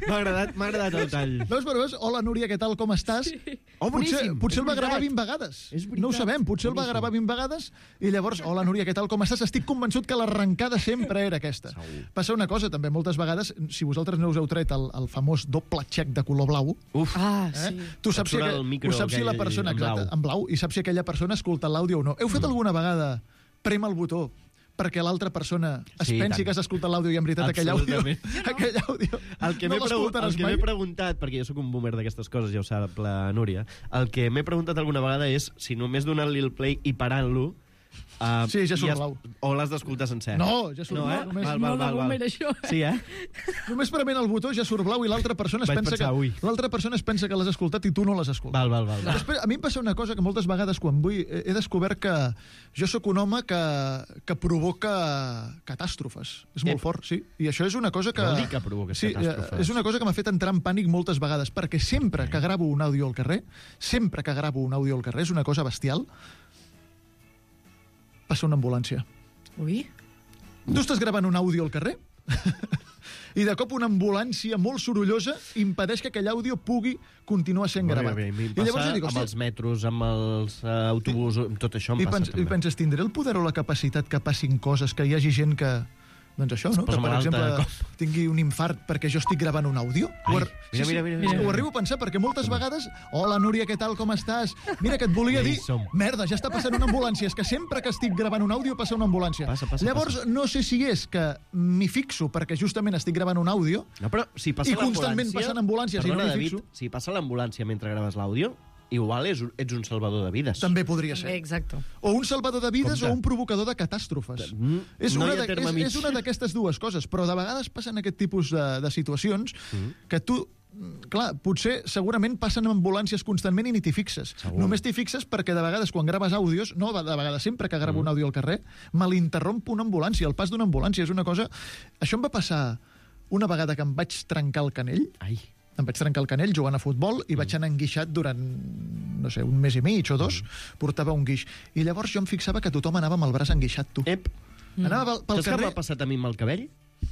M'ha agradat, m'ha agradat el tall. Veus, però veus? Hola, Núria, què tal, com estàs? Sí. Oh, potser, boníssim. potser És el va gravar veritat. vint vegades. És veritat. No ho sabem, potser el va Boníssim. gravar vint vegades i llavors, hola, Núria, què tal, com estàs? Estic convençut que l'arrencada sempre era aquesta. Segur. Passa una cosa, també, moltes vegades, si vosaltres no us heu tret el, el famós doble xec de color blau, Uf. Ah, eh? sí. Tu saps si, Et surt aqu... el micro ho saps si la aquell persona, en blau. exacte, en blau, i saps si aquella persona escolta l'àudio o no. Heu fet alguna vegada prem el botó perquè l'altra persona es Sí, pensi tant. que has escoltat l'àudio i en veritat aquell àudio, Absolutament. aquell àudio El que no m'he pregu- el l'escoltaràs que mai. m'he preguntat, perquè jo sóc un boomer d'aquestes coses, ja ho sap la Núria, el que m'he preguntat alguna vegada és si només donant-li el play i parant-lo Uh, Sí, ja surt es- blau. O l'has d'escoltar sencer? No, ja surt no, blau. Eh? Només- Val, val, Molt de val, val. moment, això. Sí, eh? Només prement el botó ja surt blau i l'altra persona es Vaig pensa pensar, ui. que l'altra persona es pensa que l'has escoltat i tu no l'has escoltat. Val, val, val. val. Després, a mi em passa una cosa que moltes vegades quan vull he he descobert que jo sóc un home que, que provoca catàstrofes. És molt Ep. fort, sí. I això és una cosa que... Què vol dir que provoques sí, catàstrofes? eh, és una cosa que m'ha fet entrar en pànic moltes vegades, perquè sempre que gravo un àudio al carrer, sempre que gravo un àudio al carrer, és una cosa bestial, passa una ambulància. Ui. Tu estàs gravant un àudio al carrer i de cop una ambulància molt sorollosa impedeix que aquell àudio pugui continuar sent Molt gravat. bé, bé. A mi em I llavors passa jo dic, amb hòstia, els metros, amb els uh, autobusos, amb tot això em I, passa pens, també. I penses, tindré el poder o la capacitat que passin coses, que hi hagi gent que... Doncs això, no? posa Que, per malalta de exemple, tingui un infart perquè jo estic gravant un àudio. Ai, Ho ar- mira, mira, mira, mira. Ho arribo a pensar, perquè moltes vegades... Hola, Núria, què tal, com estàs? Mira, que et volia Ja hi dir... som. Merda, ja està passant una ambulància. És que sempre que estic gravant un àudio passa una ambulància. Passa, passa, Llavors, passa. no sé si és que m'hi fixo perquè justament estic gravant un àudio No, però si passa i constantment l'ambulància- passen ambulàncies i no Perdona, m'hi David, fixo. si passa l'ambulància mentre graves l'àudio, igual és, un- ets un salvador de vides. També podria ser. Exacte. O un salvador de vides Compte. o un provocador de catàstrofes. Mm, És no una, hi ha de, terme és, mig. és una d'aquestes dues coses, però de vegades passen aquest tipus de, de situacions Mm. que tu, mm, clar, potser segurament passen ambulàncies constantment i ni t'hi fixes. Segur. Només t'hi fixes perquè de vegades quan graves àudios, no, de vegades sempre que gravo Mm. un àudio al carrer, me l'interromp una ambulància, el pas d'una ambulància. És una cosa... Això em va passar una vegada que em vaig trencar el canell. Ai. Em vaig trencar el canell jugant a futbol i vaig anar enguixat durant, no sé, un mes i mig o dos, portava un guix. I llavors jo em fixava que tothom anava amb el braç enguixat, tu. Ep. Anava pel, pel Saps què carrer... m'ha passat a mi amb el cabell?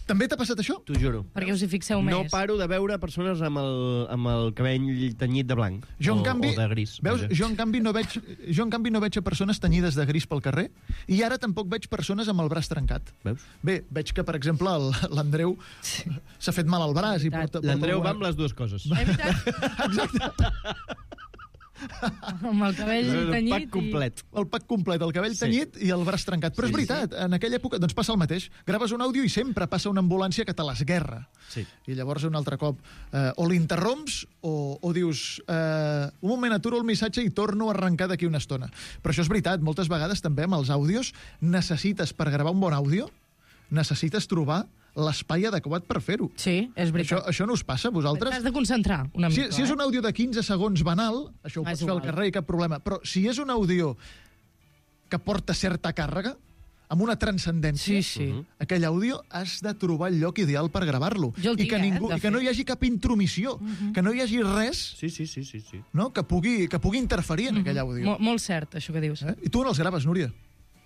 També t'ha passat això? T'ho juro. Perquè us hi fixeu més. No paro de veure persones amb el, amb el cabell tenyit de blanc. Jo, en o, canvi, o de gris. veus, vaja. jo, en canvi, no veig, jo en canvi no veig a persones tenyides de gris pel carrer i ara tampoc veig persones amb el braç trencat. Veus? Bé, veig que, per exemple, el- l'Andreu s'ha fet mal al braç. I porta, porta L'Andreu alguna- va amb les dues coses. Amb el cabell El tenyit. pack complet. El pack complet, el cabell Sí. tenyit i el braç trencat. Però Sí, és veritat, en aquella època doncs passa el mateix. Graves un àudio i sempre passa una ambulància que te l'esguerra. Sí. I llavors un altre cop eh, o l'interromps o, o dius eh, un moment, aturo el missatge i torno a arrencar d'aquí una estona. Però això és veritat, moltes vegades també amb els àudios necessites, per gravar un bon àudio, necessites trobar l'espai adequat per fer-ho. Sí, és Això, veritat. això no us passa a vosaltres? T'has de concentrar una Si, mica. si és eh? un àudio de quinze segons banal, això ho Ah, pots és fer al igual. carrer i cap problema. Però si és un àudio que porta certa càrrega, amb una transcendència, Sí, sí. aquell àudio has de trobar el lloc ideal per gravar-lo. Jo el I tinc, que, eh, ningú, de i que no fet. hi hagi cap intromissió, que no hi hagi res Sí, sí, sí, sí, sí. no? que, pugui, que pugui interferir en aquell àudio. Mo molt cert, això que dius. Eh? I tu on els graves, Núria?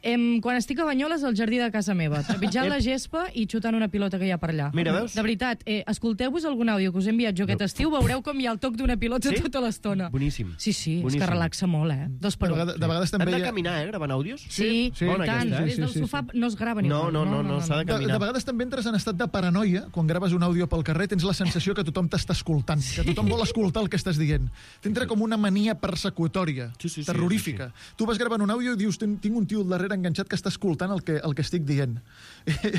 Em, quan estic a Banyoles, al jardí de casa meva, trepitjant la gespa i xutant una pilota que hi ha per allà. Mira, veus? De veritat, eh, escolteu-vos algun àudio que us he enviat jo aquest estiu, veureu com hi ha el toc d'una pilota Sí? tota l'estona. Boníssim. Sí, sí, és Boníssim. que relaxa molt, eh? Dos per De, un. vegades, de vegades Hem també de hi ha... caminar, eh, gravant àudios? Sí, Sí, i bona tant. aquesta, eh? Des del Sí, sí, sofà no es grava ni No, no, no, no, s'ha de De, caminar. de vegades també entres en estat de paranoia quan graves un àudio pel carrer, tens la sensació que tothom t'està escoltant, sí. que tothom vol escoltar el que estàs dient. T'entra com una mania persecutòria, Sí, sí, sí, terrorífica. sí, Tu vas gravant un àudio i dius, tinc tinc un tio al darrere enganxat que està escoltant el que, el que estic dient.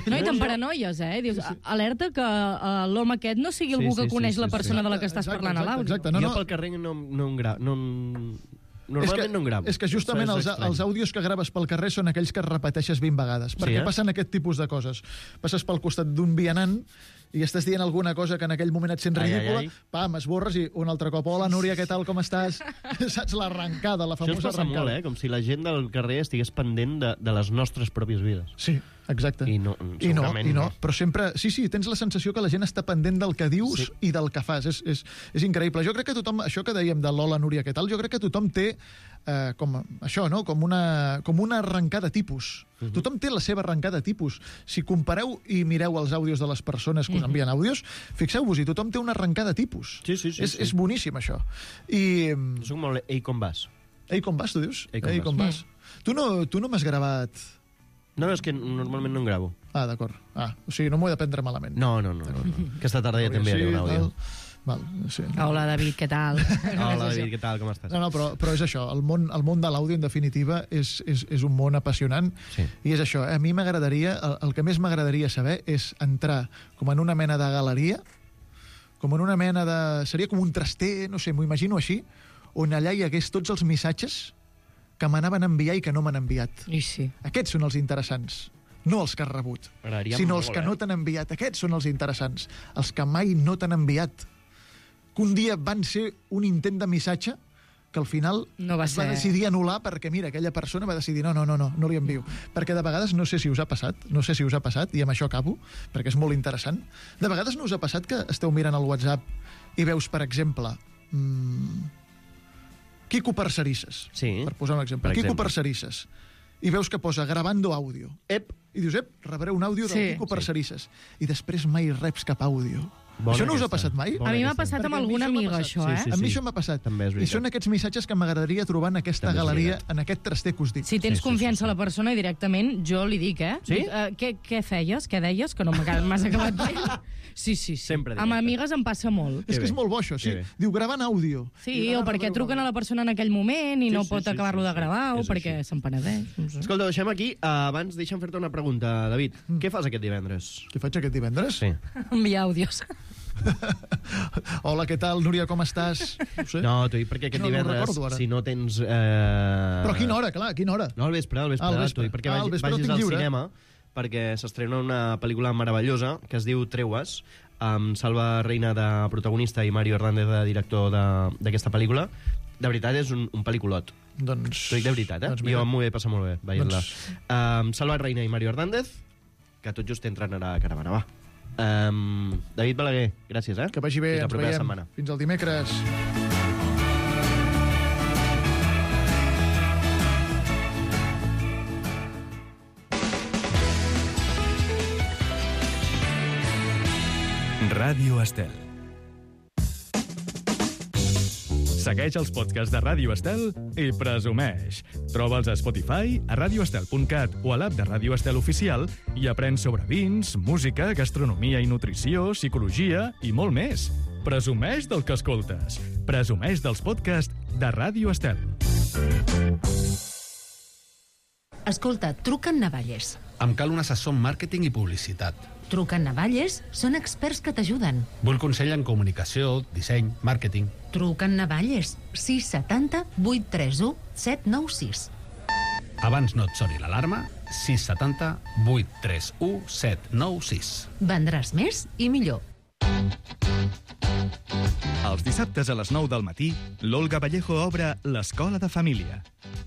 No, i te'n paranoies, eh? Dius, alerta que uh, l'home aquest no sigui algú Sí, sí, que sí, coneix sí, la sí. persona de la que estàs Exacte, parlant a exacte, l'àudio. exacte. No, jo no. pel carrer no, no, en gra... no, en- normalment és que, no en gravo. És que justament Això és els, estrany. els àudios que graves pel carrer són aquells que repeteixes vint vegades, perquè eh? passen aquest tipus de coses. Passes pel costat d'un vianant i estàs dient alguna cosa que en aquell moment et sent Ai, ai, ridícula, ai. pam, esborres i un altre cop, hola Núria, què tal, com estàs? Saps l'arrencada, la Això ens famosa passa arrencada. molt, eh? Com si la gent del carrer estigués pendent de, de les nostres pròpies vides. Sí, exacte. I no, I no, segurament i no, però sempre... Sí, sí, tens la sensació que la gent està pendent del que dius Sí. i del que fas. És, és, és increïble. Jo crec que tothom... Això que dèiem de l'hola, Núria, què tal? Jo crec que tothom té eh, com això, no? Com una, com una arrencada tipus. Uh -huh. Tothom té la seva arrencada tipus. Si compareu i mireu els àudios de les persones que us envien àudios, fixeu-vos-hi, tothom té una arrencada tipus. Sí, sí, sí, és, sí. és boníssim, això. I... Soc molt... Ei, com vas? Ei, com vas, tu dius? Ei, com Ei, vas? com vas? Tu no, tu no m'has gravat... No, no, és que normalment no en gravo. Ah, d'acord. Ah, o sigui, no m'ho he de prendre malament. No, no, no. no, no. Aquesta tarda ja també haré un àudio. Val, sí. Hola, David, què tal? Hola, David, què tal, com estàs? No, no, però, però és això, el món, el món de l'àudio, en definitiva, és, és, és un món apassionant, Sí. i és això, a mi m'agradaria, el, el que més m'agradaria saber és entrar com en una mena de galeria, com en una mena de... Seria com un traster, no sé, m'ho imagino així, on allà hi hagués tots els missatges que m'anaven a enviar i que no m'han enviat. I sí. Aquests són els interessants. No els que has rebut, sinó els que no t'han enviat. Aquests són els interessants. Els que mai no t'han enviat. Que un dia van ser un intent de missatge que al final no va es va ser... decidir anul·lar perquè, mira, aquella persona va decidir no, no, no, no, no li envio. Perquè de vegades, no sé si us ha passat, no sé si us ha passat, i amb això acabo, perquè és molt interessant, de vegades no us ha passat que esteu mirant el WhatsApp i veus, per exemple, mmm, Quico Parcerisses, sí, per posar un exemple. Per Quico exemple. Parcerisses. I veus que posa grabando àudio. Ep. I dius, ep, rebré un àudio del Sí. Quico Parcerisses. I després mai reps cap àudio. Bona això no us ha aquesta. passat mai? A mi m'ha passat amb alguna amiga, això, eh? A mi això m'ha passat. També és I veritat. són aquests missatges que m'agradaria trobar en aquesta També és galeria, veritat. en aquest traster que us dic. Si tens confiança a la persona i directament, jo li dic, eh? Sí? Dic, eh, què, què feies? Què deies? Que no m'has acabat bé. Sí, sí, sí. Sempre Amb directe. amigues em passa molt. És que és molt bo, això, sí. Que bé. Diu, gravant àudio. Sí, I o ara perquè rebreu truquen a la persona en aquell moment i Sí, no sí, pot sí, acabar-lo sí, de sí. gravar o És perquè així. se'n penedeix. No sé. Escolta, deixem aquí. Uh, abans deixa'm fer-te una pregunta, David. Mm. Què fas aquest divendres? Què faig aquest divendres? Sí. Enviar àudios. Hola, què tal, Núria, com estàs? No sé. No, t'ho dic perquè aquest No, no ho divendres, recordo, ara. si no tens... Eh... Però a quina hora, clar, a quina hora? No, al vespre, al vespre. Ah, al vespre. T'ho dic perquè Ah, al vagis, vespre no vagis tinc al lliure. cinema, perquè s'estrena una pel·lícula meravellosa que es diu Treues, amb Salva Reina de protagonista i Mario Hernández de director de- d'aquesta pel·lícula. De veritat, és un, un pel·lículot. Doncs... T'ho dic de veritat, eh? Doncs mira. jo m'ho he passat molt bé veient-la. Doncs- Um, Salva Reina i Mario Hernández, que tot just entren ara a Caravana, va. Um, David Balaguer, gràcies, eh? Que vagi bé, Fins la ens propera veiem. setmana. Fins el dimecres. Ràdio Estel. Segueix els podcasts de Ràdio Estel i presumeix. Troba'ls a Spotify, a radioestel punt cat o a l'app de Ràdio Estel Oficial i aprèn sobre vins, música, gastronomia i nutrició, psicologia i molt més. Presumeix del que escoltes. Presumeix dels podcasts de Ràdio Estel. Escolta, truquen Navalles. Em cal un assessor en màrqueting i publicitat. Truquen Navalles, són experts que t'ajuden. Vull consell en comunicació, disseny, màrqueting. Truquen Navalles, sis setanta vuit tres u set nou sis. Abans no et soni l'alarma, sis setanta vuit tres u set nou sis. Vendràs més i millor. Els dissabtes a les nou del matí, l'Olga Vallejo obre l'Escola de Família.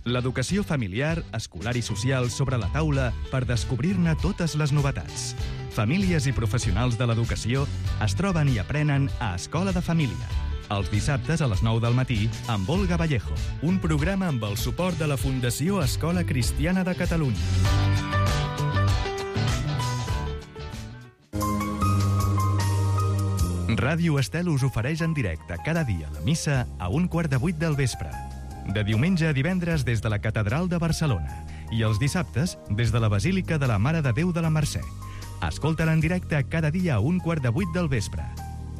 L'educació familiar, escolar i social sobre la taula per descobrir-ne totes les novetats. Famílies i professionals de l'educació es troben i aprenen a Escola de Família. Els dissabtes a les nou del matí amb Olga Vallejo, un programa amb el suport de la Fundació Escola Cristiana de Catalunya. Ràdio Estel us ofereix en directe cada dia la missa a un quart de vuit del vespre. De diumenge a divendres des de la Catedral de Barcelona i els dissabtes des de la Basílica de la Mare de Déu de la Mercè. Escolta-la en directe cada dia a un quart de vuit del vespre.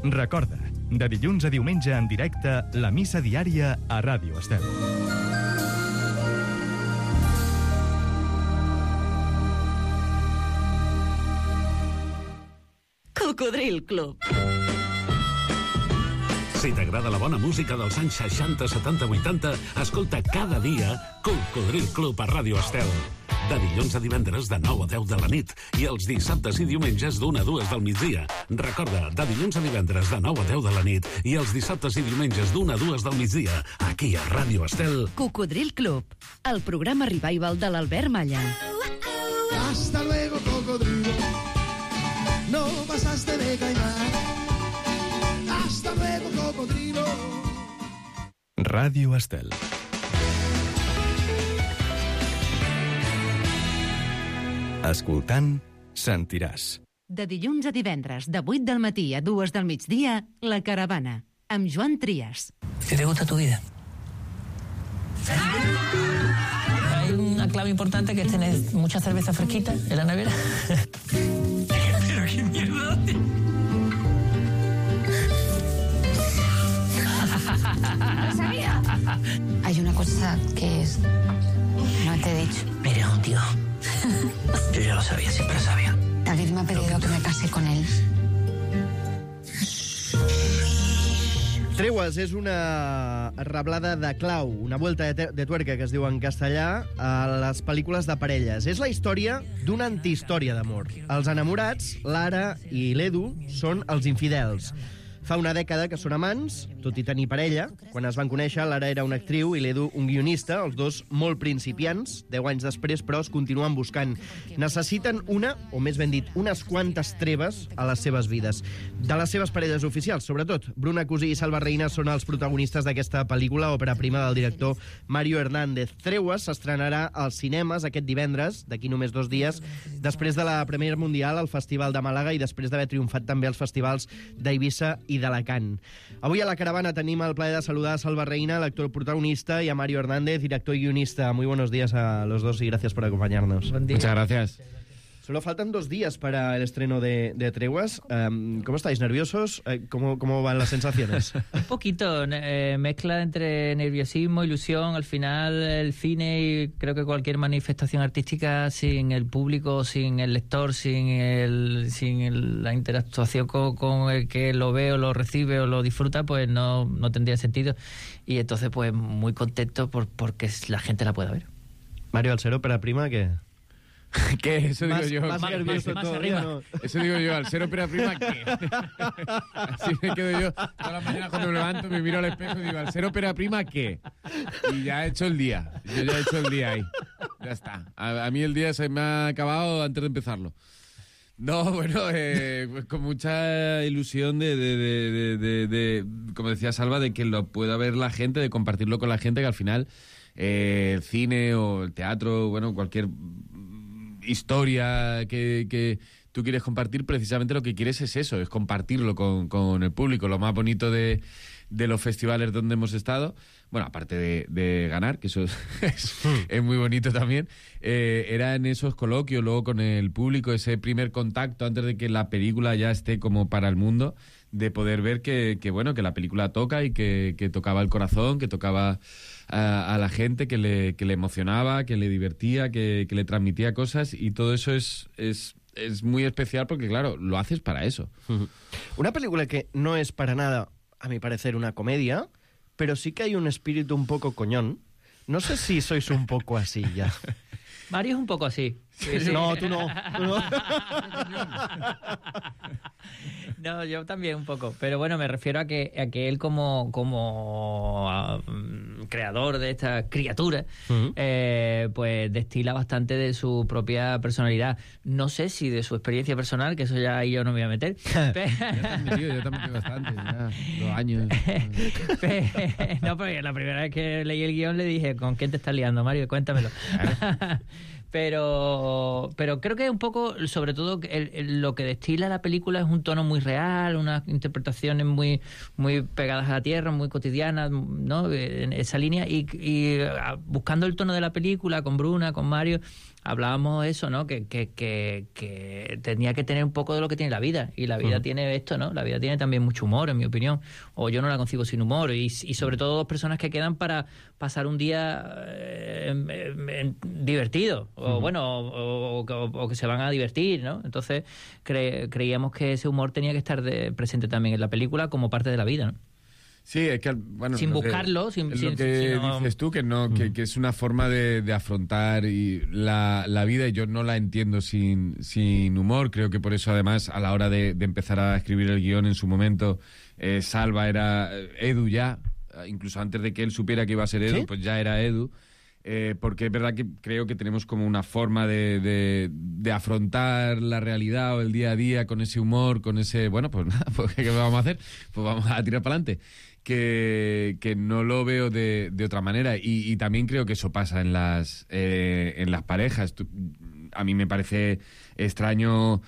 Recorda, de dilluns a diumenge en directe, la missa diària a Ràdio Estel. Cocodril Club. Si t'agrada la bona música dels anys seixanta, setanta, vuitanta, escolta cada dia Cocodril Club a Ràdio Estel. De dilluns a divendres de nou a deu de la nit i els dissabtes i diumenges d'una a dues del migdia. Recorda, de dilluns a divendres de nou a deu de la nit i els dissabtes i diumenges d'una a dues del migdia, aquí a Ràdio Estel. Cocodril Club, el programa revival de l'Albert Malla. Hasta luego, cocodrilo. No pasaste de caimán. Hasta luego, cocodrilo. Ràdio Estel. Escoltant, sentiràs. De dilluns a divendres, de vuit del matí a dues del migdia, La Caravana, amb Joan Trias. ¿Qué te gusta tu vida? Hay una clave importante que es tener mucha cerveza fresquita en la nevera. Pero qué mierda. ¡Lo sabía! Hay una cosa que es... no te he dicho. Eres un tío. Yo ya lo sabía, siempre lo sabía. David me ha pedido que me case con él. Tregues és una reblada de clau, una vuelta de, de tuerca, que es diu en castellà, a les pel·lícules de parelles. És la història d'una antihistòria d'amor. Els enamorats, Lara i l'Edu, són els infidels. Fa una dècada que són amants, tot i tenir parella. Quan es van conèixer, Lara era una actriu i l'Edu un guionista, els dos molt principiants. Deu anys després, però, es continuen buscant. Necessiten una, o més ben dit, unes quantes treves a les seves vides. De les seves parelles oficials, sobretot. Bruna Cusí i Salva Reina són els protagonistes d'aquesta pel·lícula, òpera prima del director Mario Hernández. Treues s'estrenarà als cinemes aquest divendres, d'aquí només dos dies, després de la Premier Mundial al Festival de Màlaga i després d'haver triomfat també als festivals d'Eivissa i d'Alacant. Avui a la caravana tenim el plaer de saludar a Salva Reina, l'actor protagonista, y a Mario Hernández, director y guionista. Muy buenos días a los dos y gracias por acompañarnos. Buen día. Muchas gracias. Solo faltan dos días para el estreno de, de Treguas. Um, ¿Cómo estáis? ¿Nerviosos? ¿Cómo, cómo van las sensaciones? Un poquito, eh, mezcla entre nerviosismo, ilusión. Al final el cine y creo que cualquier manifestación artística sin el público, sin el lector, sin, el, sin el, la interactuación con, con el que lo ve o lo recibe o lo disfruta, pues no, no tendría sentido. Y entonces pues muy contento por, porque la gente la pueda ver. Mario, al ser ópera prima, ¿qué? ¿Qué? Eso digo más, yo. Más más, nervioso más, todavía, más ¿no? Eso digo yo, al ser ópera prima, ¿qué? Así me quedo yo. Todas las mañanas cuando me levanto me miro al espejo y digo, al ser ópera prima, ¿qué? Y ya he hecho el día. Yo ya he hecho el día ahí. Ya está. A, a mí el día se me ha acabado antes de empezarlo. No, bueno, eh, pues con mucha ilusión de, de, de, de, de, de, como decía Salva, de que lo pueda ver la gente, de compartirlo con la gente, que al final eh, el cine o el teatro, bueno, cualquier historia que, que tú quieres compartir, precisamente lo que quieres es eso, es compartirlo con, con el público. Lo más bonito de, de los festivales donde hemos estado, bueno, aparte de, de ganar, que eso es, es, es muy bonito también, eh, era en esos coloquios, luego con el público, ese primer contacto antes de que la película ya esté como para el mundo, de poder ver que, que bueno, que la película toca y que, que tocaba el corazón, que tocaba a, a la gente, que le, que le emocionaba, que le divertía, que, que le transmitía cosas, y todo eso es, es, es muy especial porque, claro, lo haces para eso. Una película que no es para nada, a mi parecer, una comedia, pero sí que hay un espíritu un poco coñón. No sé si sois un poco así ya. Mario es un poco así. Sí, sí. No, tú no. Tú no. No, yo también un poco. Pero bueno, me refiero a que, a que él como, como uh, creador de esta criatura, uh-huh. eh, pues destila bastante de su propia personalidad. No sé si de su experiencia personal, que eso ya ahí yo no me voy a meter. Pero... yo también, tío, yo también tengo bastante, ya, dos años. No, porque la primera vez que leí el guión le dije, ¿con quién te estás liando, Mario? Cuéntamelo. Pero, pero creo que un poco, sobre todo, el, el, lo que destila la película es un tono muy real, unas interpretaciones muy, muy pegadas a la tierra, muy cotidianas, ¿no? En esa línea. Y, y buscando el tono de la película, con Bruna, con Mario, hablábamos eso, ¿no? Que, que, que, que tenía que tener un poco de lo que tiene la vida. Y la vida uh-huh. tiene esto, ¿no? La vida tiene también mucho humor, en mi opinión. O yo no la concibo sin humor. Y, y sobre todo dos personas que quedan para pasar un día eh, en, en, divertido. O uh-huh. bueno, o, o, o, o que se van a divertir, ¿no? Entonces cre, creíamos que ese humor tenía que estar de, presente también en la película como parte de la vida, ¿no? Sí, es que, bueno, sin buscarlo, que, sin, es sin, lo que sin, no... dices tú, que no, que, que es una forma de, de afrontar y la, la vida, y yo no la entiendo sin, sin humor. Creo que por eso, además, a la hora de, de empezar a escribir el guión en su momento, eh, Salva era Edu ya, incluso antes de que él supiera que iba a ser Edu, ¿sí? Pues ya era Edu. Eh, porque es verdad que creo que tenemos como una forma de, de, de afrontar la realidad o el día a día con ese humor, con ese, bueno, pues nada, pues, ¿qué vamos a hacer? Pues vamos a tirar para adelante. Que, que no lo veo de, de otra manera, y, y también creo que eso pasa en las, eh, en las parejas. Tú, a mí me parece extraño.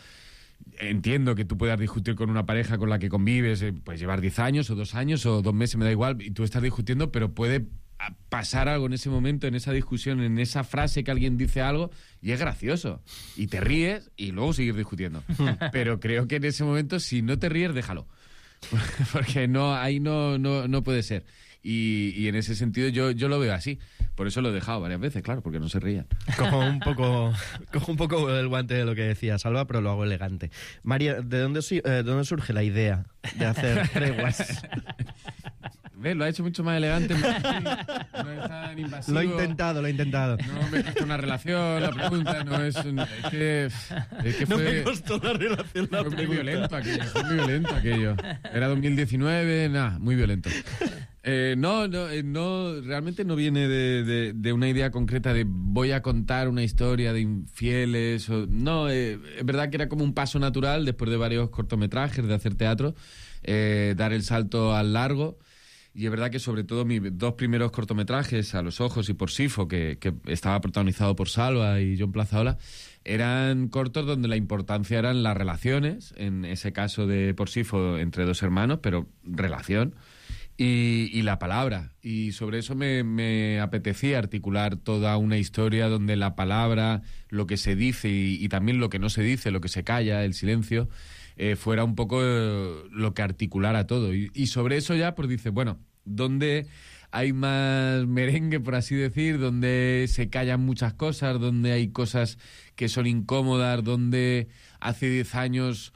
Entiendo que tú puedas discutir con una pareja con la que convives, eh, puedes llevar diez años o dos años o dos meses, me da igual, y tú estás discutiendo, pero puede pasar algo en ese momento, en esa discusión, en esa frase que alguien dice algo, y es gracioso. Y te ríes y luego sigues discutiendo. Pero creo que en ese momento, si no te ríes, déjalo. Porque no, ahí no, no, no puede ser. Y, y en ese sentido yo, yo lo veo así. Por eso lo he dejado varias veces, claro, porque no se rían. Cojo un poco, cojo un poco el guante de lo que decía Salva, pero lo hago elegante. María, ¿de dónde, eh, ¿de dónde surge la idea de hacer Treguas? ¿Ves? Lo ha hecho mucho más elegante. No es tan invasivo. Lo he intentado, lo he intentado. No me costó una relación, la pregunta. No es, un, es que, es que no fue, me costó la relación, la fue pregunta. muy violento aquello. Fue muy violento aquello. Era dos mil diecinueve, nada, muy violento. Eh, no, no, eh, no, realmente no viene de, de, de una idea concreta de voy a contar una historia de infieles. O, no, eh, es verdad que era como un paso natural después de varios cortometrajes, de hacer teatro, eh, dar el salto al largo. Y es verdad que sobre todo mis dos primeros cortometrajes, A los ojos y Por Sifo, que, que estaba protagonizado por Salva y John Plazaola, eran cortos donde la importancia eran las relaciones, en ese caso de Por Sifo entre dos hermanos, pero relación. Y, y la palabra, y sobre eso me, me apetecía articular toda una historia donde la palabra, lo que se dice y, y también lo que no se dice, lo que se calla, el silencio, eh, fuera un poco eh, lo que articulara todo. Y, y sobre eso ya pues dice, bueno, ¿dónde hay más merengue, por así decir? ¿Dónde se callan muchas cosas? ¿Dónde hay cosas que son incómodas? ¿Dónde hace diez años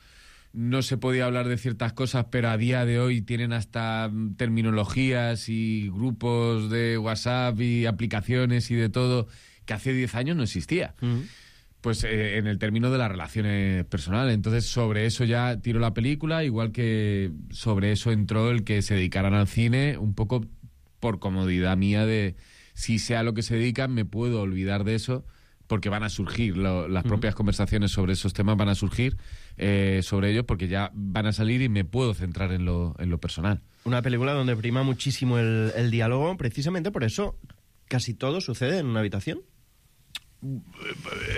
no se podía hablar de ciertas cosas, pero a día de hoy tienen hasta terminologías y grupos de WhatsApp y aplicaciones y de todo que hace diez años no existía? Uh-huh. Pues eh, en el término de las relaciones personales. Entonces sobre eso ya tiró la película, igual que sobre eso entró el que se dedicaran al cine, un poco por comodidad mía de si sea lo que se dedican me puedo olvidar de eso, porque van a surgir, lo, las propias uh-huh. conversaciones sobre esos temas van a surgir eh, sobre ellos, porque ya van a salir y me puedo centrar en lo, en lo personal. Una película donde prima muchísimo el, el diálogo, precisamente por eso casi todo sucede en una habitación.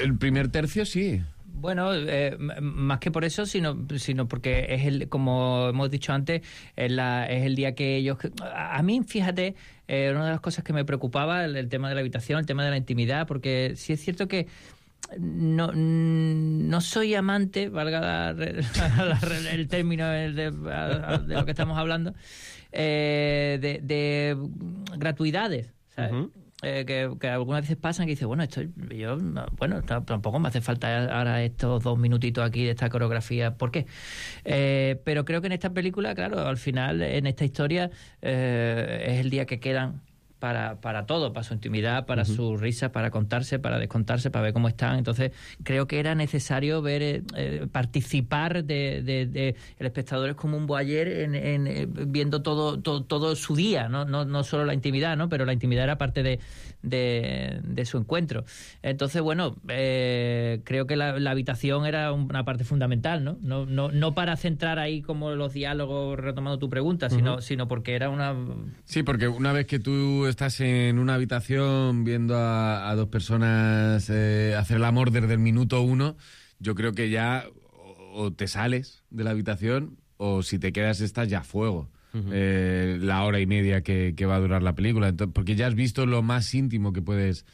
El primer tercio sí. Bueno, eh, más que por eso, sino, sino porque es el, como hemos dicho antes, es, la, es el día que ellos... A mí, fíjate, eh, una de las cosas que me preocupaba, el, el tema de la habitación, el tema de la intimidad, porque sí es cierto que no, no soy amante, valga la, la, la, el término de, de, de lo que estamos hablando, eh, de, de gratuidades, ¿sabes? Uh-huh. Eh, que, que algunas veces pasan que dices, bueno, esto yo bueno tampoco me hace falta ahora estos dos minutitos aquí de esta coreografía, ¿por qué? Eh, pero creo que en esta película, claro, al final, en esta historia, eh, es el día que quedan para, para todo, para su intimidad, para uh-huh. sus risas, para contarse, para descontarse, para ver cómo están. Entonces creo que era necesario ver, eh, eh, participar de, de, de el espectador es como un voyeur en, en, eh, viendo todo, todo todo su día, ¿no? No, no solo la intimidad, ¿no? Pero la intimidad era parte de, de, de su encuentro. Entonces, bueno, eh, creo que la, la habitación era una parte fundamental, ¿no? No, no, no para centrar ahí como los diálogos, retomando tu pregunta, sino, uh-huh. sino porque era una... Sí, porque una vez que tú estás en una habitación viendo a, a dos personas eh, hacer el amor desde el minuto uno, yo creo que ya o, o te sales de la habitación o si te quedas estás ya a fuego. Uh-huh. eh, la hora y media que, que va a durar la película. Entonces, porque ya has visto lo más íntimo que puedes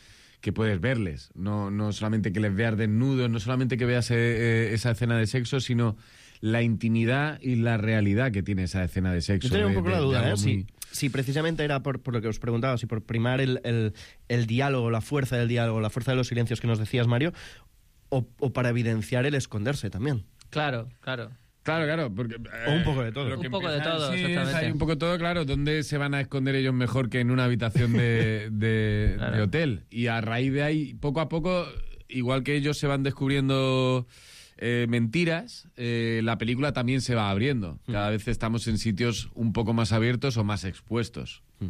que puedes verles. No, no solamente que les veas desnudos, no solamente que veas eh, esa escena de sexo, sino la intimidad y la realidad que tiene esa escena de sexo. Yo tenía un poco de, la duda, de ¿eh? muy... Si, si precisamente era por, por lo que os preguntaba, si por primar el, el, el diálogo, la fuerza del diálogo, la fuerza de los silencios que nos decías, Mario, o, o para evidenciar el esconderse también. Claro, claro. Claro, claro. Porque, eh, o un poco de todo. Un poco de todo, sí, exactamente. Hay un poco de todo, claro. ¿Dónde se van a esconder ellos mejor que en una habitación de, de, claro. de hotel? Y a raíz de ahí, poco a poco, igual que ellos se van descubriendo eh, mentiras, eh, la película también se va abriendo. Cada mm. vez estamos en sitios un poco más abiertos o más expuestos. Mm.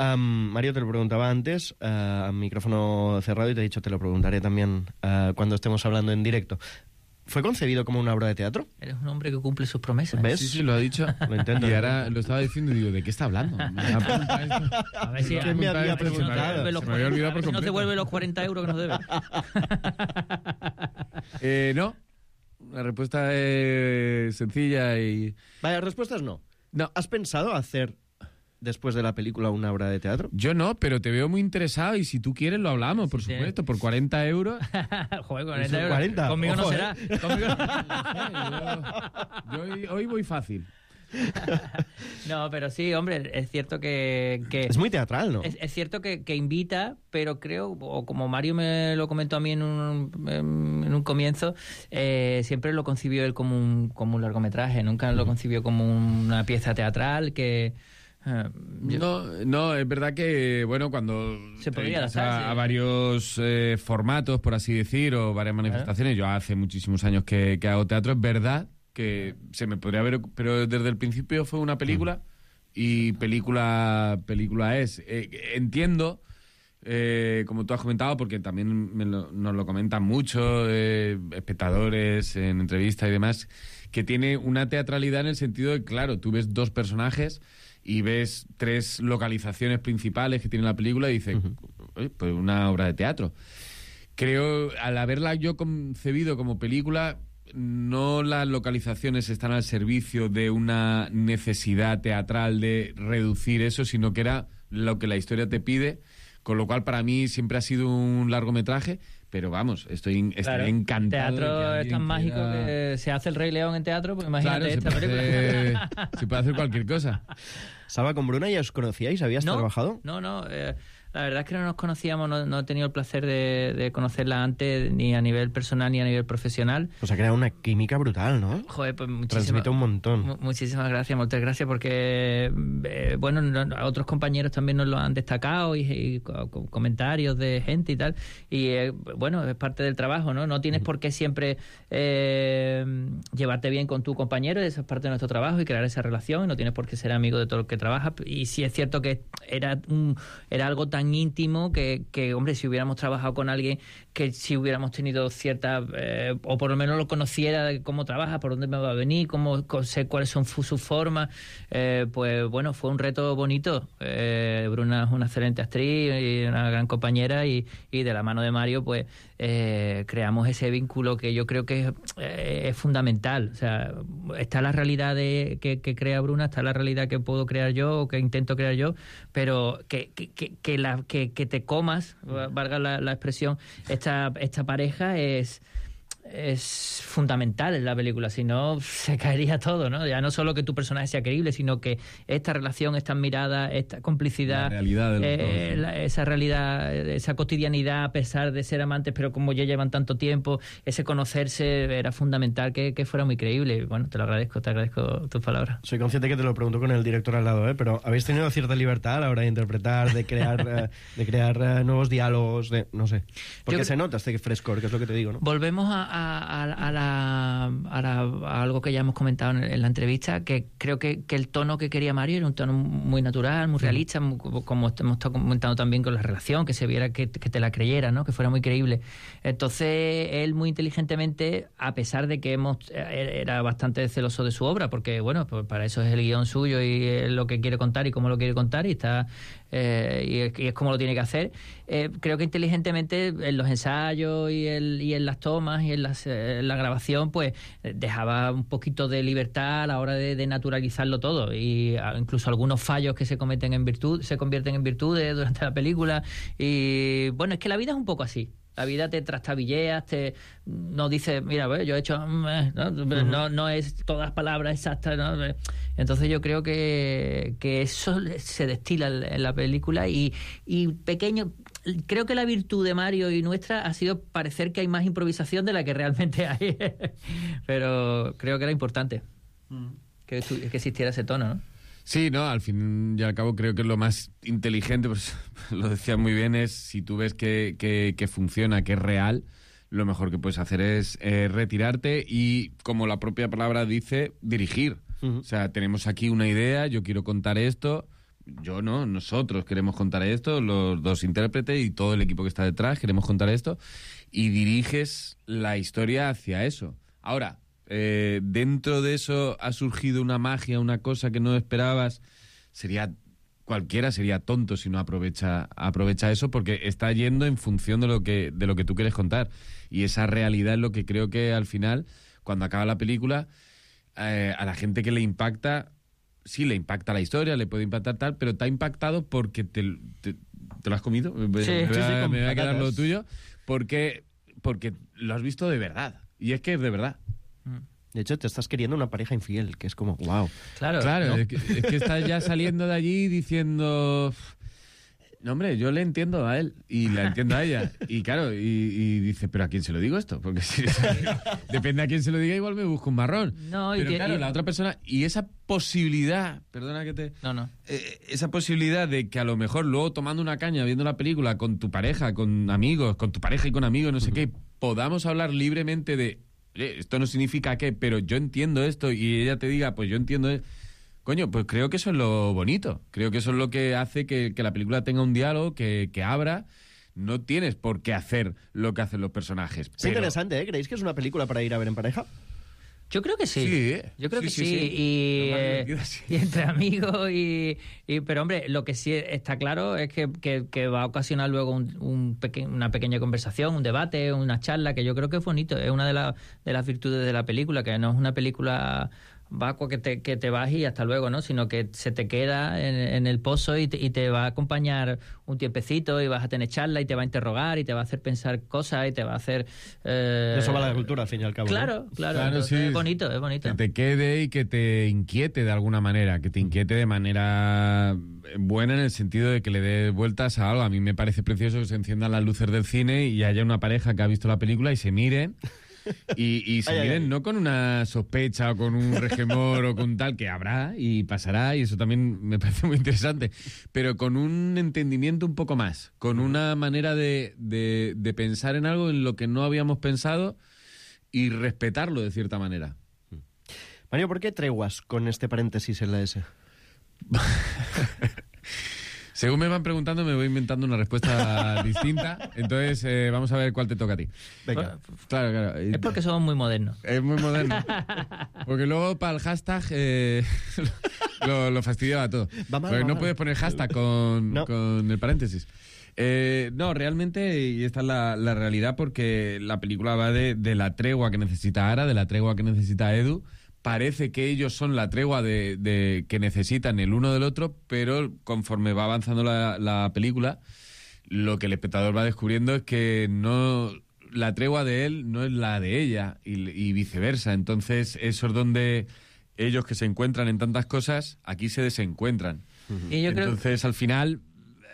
Um, Mario, te lo preguntaba antes, uh, micrófono cerrado, y te he dicho, te lo preguntaré también uh, cuando estemos hablando en directo. ¿Fue concebido como una obra de teatro? Eres un hombre que cumple sus promesas. ¿Ves? Sí, sí, lo ha dicho. Lo intento. Y ahora lo estaba diciendo y digo, ¿de qué está hablando? Me a ver si ¿Qué me había preguntado? Se me había olvidado por completo. No te devuelve los cuarenta euros que nos debe. eh, no. La respuesta es sencilla y... Vaya, respuestas no. No. ¿Has pensado hacer después de la película una obra de teatro? Yo no, pero te veo muy interesado y si tú quieres lo hablamos, por sí, supuesto, por cuarenta euros. Joder, cuarenta euros. cuarenta. Conmigo Ojo, no será. ¿eh? Conmigo no. yo, yo hoy, hoy voy fácil. No, pero sí, hombre, es cierto que... que es muy teatral, ¿no? Es, es cierto que, que invita, pero creo, o como Mario me lo comentó a mí en un, en un comienzo, eh, siempre lo concibió él como un, como un largometraje, nunca lo concibió como una pieza teatral que... Uh, yo... No, no, es verdad que, bueno, cuando se podría a, adaptar, a sí. varios eh, formatos, por así decir, o varias manifestaciones, yo hace muchísimos años que, que hago teatro, es verdad que se me podría ver, pero desde el principio fue una película y película película es. Eh, entiendo, eh, como tú has comentado, porque también me lo, nos lo comentan mucho eh, espectadores en entrevistas y demás, que tiene una teatralidad en el sentido de, claro, tú ves dos personajes y ves tres localizaciones principales que tiene la película y dices, uh-huh. pues una obra de teatro. Creo, al haberla yo concebido como película, no las localizaciones están al servicio de una necesidad teatral de reducir eso, sino que era lo que la historia te pide, con lo cual para mí siempre ha sido un largometraje, pero vamos, estoy, estoy claro, encantado. Teatro de es tan mágico quiera... que se hace el Rey León en teatro, pues imagínate claro, esta se película. Puede, se puede hacer cualquier cosa. Saba, con Bruna ya os conocíais, ¿habías no, trabajado? No, no, eh, la verdad es que no nos conocíamos, no, no he tenido el placer de, de conocerla antes, ni a nivel personal ni a nivel profesional. Pues ha creado una química brutal, ¿no? Joder, pues muchísimas... Transmite un montón. Muchísimas gracias, muchas gracias, porque, eh, bueno, no, otros compañeros también nos lo han destacado y, y con comentarios de gente y tal, y eh, bueno, es parte del trabajo, ¿no? No tienes por qué siempre eh, llevarte bien con tu compañero, eso es parte de nuestro trabajo y crear esa relación, y no tienes por qué ser amigo de todo el que trabaja, y sí es cierto que era, un, era algo tan íntimo que, que, hombre, si hubiéramos trabajado con alguien que si hubiéramos tenido cierta, eh, o por lo menos lo conociera de cómo trabaja, por dónde me va a venir, cómo sé cuáles son sus formas, eh, pues bueno, fue un reto bonito. Eh, Bruna es una excelente actriz y una gran compañera, y, y de la mano de Mario, pues eh, creamos ese vínculo que yo creo que es, eh, es fundamental. O sea, está la realidad de, que, que crea Bruna, está la realidad que puedo crear yo o que intento crear yo, pero que, que, que, que la Que, que te comas, valga la, la expresión, esta, esta pareja es, es fundamental en la película, si no se caería todo, ¿no? Ya no solo que tu personaje sea creíble, sino que esta relación, esta mirada, esta complicidad, la realidad de los eh, dos, ¿no? la, esa realidad, esa cotidianidad, a pesar de ser amantes, pero como ya llevan tanto tiempo, ese conocerse era fundamental que, que fuera muy creíble. Bueno, te lo agradezco, te agradezco tus palabras. Soy consciente que te lo pregunto con el director al lado, ¿eh? Pero ¿habéis tenido cierta libertad a la hora de interpretar, de crear, eh, de crear eh, nuevos diálogos, de, no sé? Porque Yo... se nota este frescor, que es lo que te digo, ¿no? Volvemos a, a, a, la, a, la, a algo que ya hemos comentado en, en la entrevista, que creo que, que el tono que quería Mario era un tono muy natural, muy realista, muy, como hemos estado comentando también con la relación, que se viera que, que te la creyera, ¿no? Que fuera muy creíble. Entonces, él muy inteligentemente, a pesar de que hemos era bastante celoso de su obra, porque, bueno, pues para eso es el guión suyo y es lo que quiere contar y cómo lo quiere contar, y está eh, y, es, y es como lo tiene que hacer, eh, creo que inteligentemente en los ensayos y, el, y en las tomas y en, las, en la grabación, pues dejaba un poquito de libertad a la hora de, de naturalizarlo todo, y incluso algunos fallos que se cometen en virtud se convierten en virtudes durante la película. Y bueno, es que la vida es un poco así. La vida te trastabilleas, te no dices, mira, pues, yo he hecho, ¿no? Uh-huh. no, no es todas palabras exactas, ¿no? Entonces yo creo que, que eso se destila en la película, y, y pequeño, creo que la virtud de Mario y nuestra ha sido parecer que hay más improvisación de la que realmente hay. Pero creo que era importante uh-huh. que, que existiera ese tono, ¿no? Sí, no, al fin y al cabo creo que lo más inteligente, pues lo decía muy bien, es si tú ves que, que, que funciona, que es real, lo mejor que puedes hacer es eh, retirarte y, como la propia palabra dice, dirigir. Uh-huh. O sea, tenemos aquí una idea, yo quiero contar esto, yo no, nosotros queremos contar esto, los dos intérpretes y todo el equipo que está detrás queremos contar esto, y diriges la historia hacia eso. Ahora, Eh, dentro de eso ha surgido una magia, una cosa que no esperabas, sería cualquiera sería tonto si no aprovecha aprovecha eso, porque está yendo en función de lo que de lo que tú quieres contar, y esa realidad es lo que creo que al final, cuando acaba la película, eh, a la gente que le impacta, sí le impacta la historia, le puede impactar tal, pero te ha impactado porque te, te, te lo has comido. Sí, me, sí, sí, me, me va a quedar patatas. lo tuyo, porque porque lo has visto de verdad, y es que es de verdad. De hecho, te estás queriendo una pareja infiel, que es como, wow. Claro, claro, ¿no? es, que, es que estás ya saliendo de allí diciendo... No, hombre, yo le entiendo a él y la entiendo a ella. Y claro, y, y dice, ¿pero a quién se lo digo esto? Porque si depende a quién se lo diga, igual me busco un marrón. No, y Pero que- claro, y- la otra persona... Y esa posibilidad, perdona que te... No, no. Eh, esa posibilidad de que a lo mejor luego tomando una caña, viendo la película con tu pareja, con amigos, con tu pareja y con amigos, no sé qué, podamos hablar libremente de, oye, esto no significa qué, pero yo entiendo esto, y ella te diga, pues yo entiendo esto. Coño, pues creo que eso es lo bonito. Creo que eso es lo que hace que, que la película tenga un diálogo, que, que abra. No tienes por qué hacer lo que hacen los personajes. Es pero- interesante, ¿eh? ¿Creéis que es una película para ir a ver en pareja? Yo creo que sí. Sí, Yo creo sí, que sí, sí. sí. Y, Lo más eh, divertido, sí. y entre amigos. Y, y- pero, hombre, lo que sí está claro es que, que- que va a ocasionar luego un, un peque- una pequeña conversación, un debate, una charla, que yo creo que es bonito. Es una de, la- de las virtudes de la película, que no es una película vacua que te, que te vas y hasta luego, ¿no? Sino que se te queda en, en el pozo y te, y te va a acompañar un tiempecito y vas a tener charla y te va a interrogar y te va a hacer pensar cosas y te va a hacer... eh, De eso va la cultura, al fin y al cabo. Claro, ¿no? claro. Claro, entonces sí. Es bonito, es bonito. Que te quede y que te inquiete de alguna manera, que te inquiete de manera buena en el sentido de que le dé vueltas a algo. A mí me parece precioso que se enciendan las luces del cine y haya una pareja que ha visto la película y se miren. Y, y se Ay, ay, miren ay. no con una sospecha o con un regemor o con tal, que habrá y pasará, y eso también me parece muy interesante, pero con un entendimiento un poco más, con una manera de, de, de pensar en algo en lo que no habíamos pensado y respetarlo de cierta manera. Mario, ¿por qué treguas con este paréntesis en la S? Según me van preguntando, me voy inventando una respuesta distinta. Entonces, eh, vamos a ver cuál te toca a ti. Venga. Claro, claro. Es porque somos muy modernos. Es muy moderno. Porque luego para el hashtag eh, lo, lo fastidiaba todo. Va mal, Porque va no mal. puedes poner hashtag con, No. con el paréntesis. Eh, no, realmente, y esta es la, la realidad, porque la película va de, de la tregua que necesita Ara, de la tregua que necesita Edu. Parece que ellos son la tregua de, de que necesitan el uno del otro, pero conforme va avanzando la, la película, lo que el espectador va descubriendo es que no, la tregua de él no es la de ella, y, y viceversa. Entonces, eso es donde ellos, que se encuentran en tantas cosas, aquí se desencuentran. Y yo creo- Entonces, al final,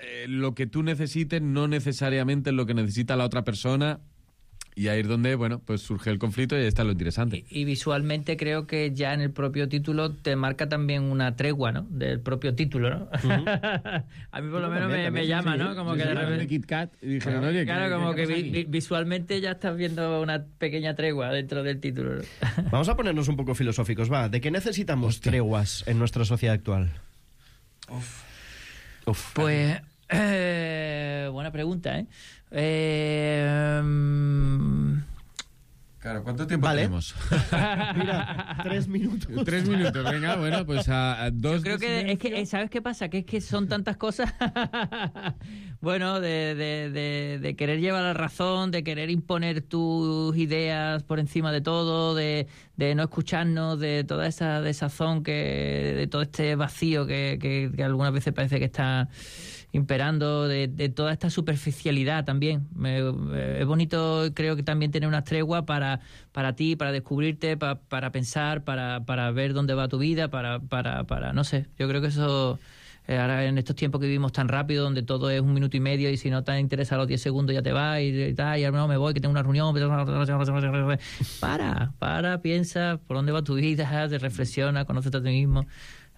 eh, lo que tú necesites no necesariamente es lo que necesita la otra persona. Y ahí es donde, bueno, pues surge el conflicto y ahí está lo interesante. Y visualmente creo que ya en el propio título te marca también una tregua, ¿no? Del propio título, ¿no? A mí por lo menos me, me llama, ¿no? Como que de repente... Kit Kat y dijeron, oye, Claro, ¿qué- como qué que pasa vi- aquí? vi- visualmente ya estás viendo una pequeña tregua dentro del título, ¿no? Vamos a ponernos un poco filosóficos, va. ¿De qué necesitamos treguas en nuestra sociedad actual? Uf. Pues, eh, buena pregunta, ¿eh? eh mm, Claro, ¿cuánto tiempo Vale. tenemos? Mira, tres minutos. Tres minutos, venga, bueno, pues a, a dos... Yo creo de que es silencio. que, eh, ¿sabes qué pasa? Que es que son tantas cosas, bueno, de, de, de, de querer llevar la razón, de querer imponer tus ideas por encima de todo, de, de no escucharnos, de toda esa desazón, que, de todo este vacío que, que, que algunas veces parece que está imperando, de, de toda esta superficialidad también. Me- eh, es bonito, creo que también tener una tregua para, para ti, para descubrirte, pa- para pensar, para, para ver dónde va tu vida, para, para, para no sé, yo creo que eso, eh, ahora en estos tiempos que vivimos tan rápido, donde todo es un minuto y medio y si no te interesa a los diez segundos ya te vas y, y tal, y ahora no me voy, que tengo una reunión, para, para, piensa por dónde va tu vida, te reflexiona, conócete a ti mismo.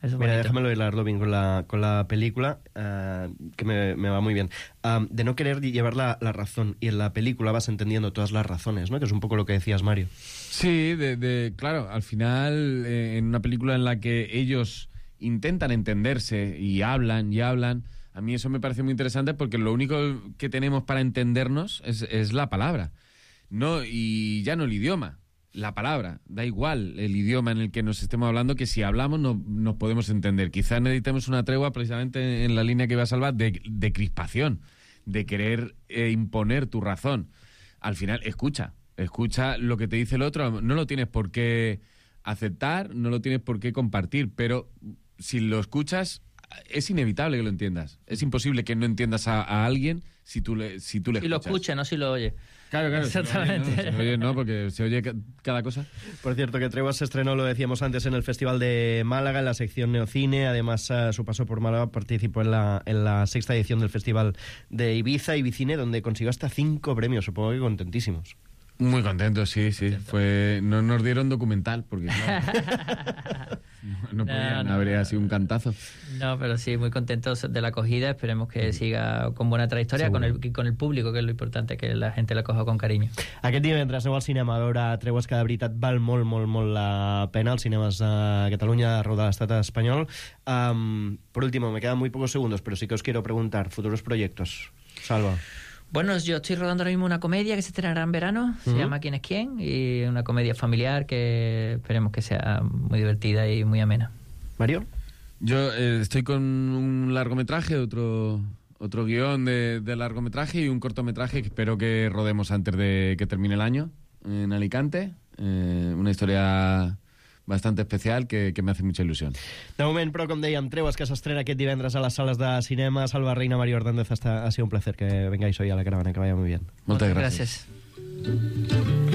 Eso es Mira, bonito. déjamelo hilarlo bien con la, con la película, eh, que me, me va muy bien. Um, de no querer llevar la, la razón, y en la película vas entendiendo todas las razones, ¿no? Que es un poco lo que decías, Mario. Sí, de, de- claro, al final, eh, en una película en la que ellos intentan entenderse y hablan y hablan, a mí eso me parece muy interesante porque lo único que tenemos para entendernos es, es la palabra, no, y ya no el idioma. La palabra, da igual el idioma en el que nos estemos hablando, que si hablamos no, nos podemos entender. Quizás necesitemos una tregua precisamente en la línea que iba a salvar de, de crispación, de querer eh, imponer tu razón. Al final, escucha, escucha lo que te dice el otro, no lo tienes por qué aceptar, no lo tienes por qué compartir, pero si lo escuchas, es inevitable que lo entiendas. Es imposible que no entiendas a, a alguien si tú le, si tú le Y lo escuchas. escucha, no si lo oye. Claro, claro. Exactamente. Se oye, no, se oye, no, porque se oye ca- cada cosa. Por cierto, que Treguas se estrenó, lo decíamos antes, en el Festival de Málaga, en la sección Neocine. Además, uh, su paso por Málaga participó en la, en la sexta edición del Festival de Ibiza, Ibicine, donde consiguió hasta cinco premios. Supongo que contentísimos. Muy contento, sí, sí. Fue, no nos dieron documental, porque claro, no, no podían, no, habría no. sido un cantazo. No, pero sí, muy contentos de la acogida. Esperemos que siga con buena trayectoria con el, con el público, que es lo importante, que la gente la coja con cariño. Aquest divendres aneu al cinema a veure Tregues, que de veritat val molt, molt, molt la pena, als cinemes de Catalunya, arreu de l'estat espanyol. Um, por último, me quedan muy pocos segundos, pero sí que os quiero preguntar, futuros proyectos. Salva. Bueno, yo estoy rodando ahora mismo una comedia que se estrenará en verano, se Uh-huh. llama ¿Quién es quién? Y una comedia familiar que esperemos que sea muy divertida y muy amena. ¿Mario? Yo eh, estoy con un largometraje, otro, otro guión de, de largometraje y un cortometraje que espero que rodemos antes de que termine el año en Alicante. Eh, una historia bastante especial que, que me hace mucha ilusión. De moment, però, com dèiem, Tregues, que s'estrena aquest divendres a les sales de cinema. Salva Reina, Mario Hernández, hasta, ha sido un placer que vengáis hoy a la caravana, que vaya muy bien. Muchas gracias. gracias.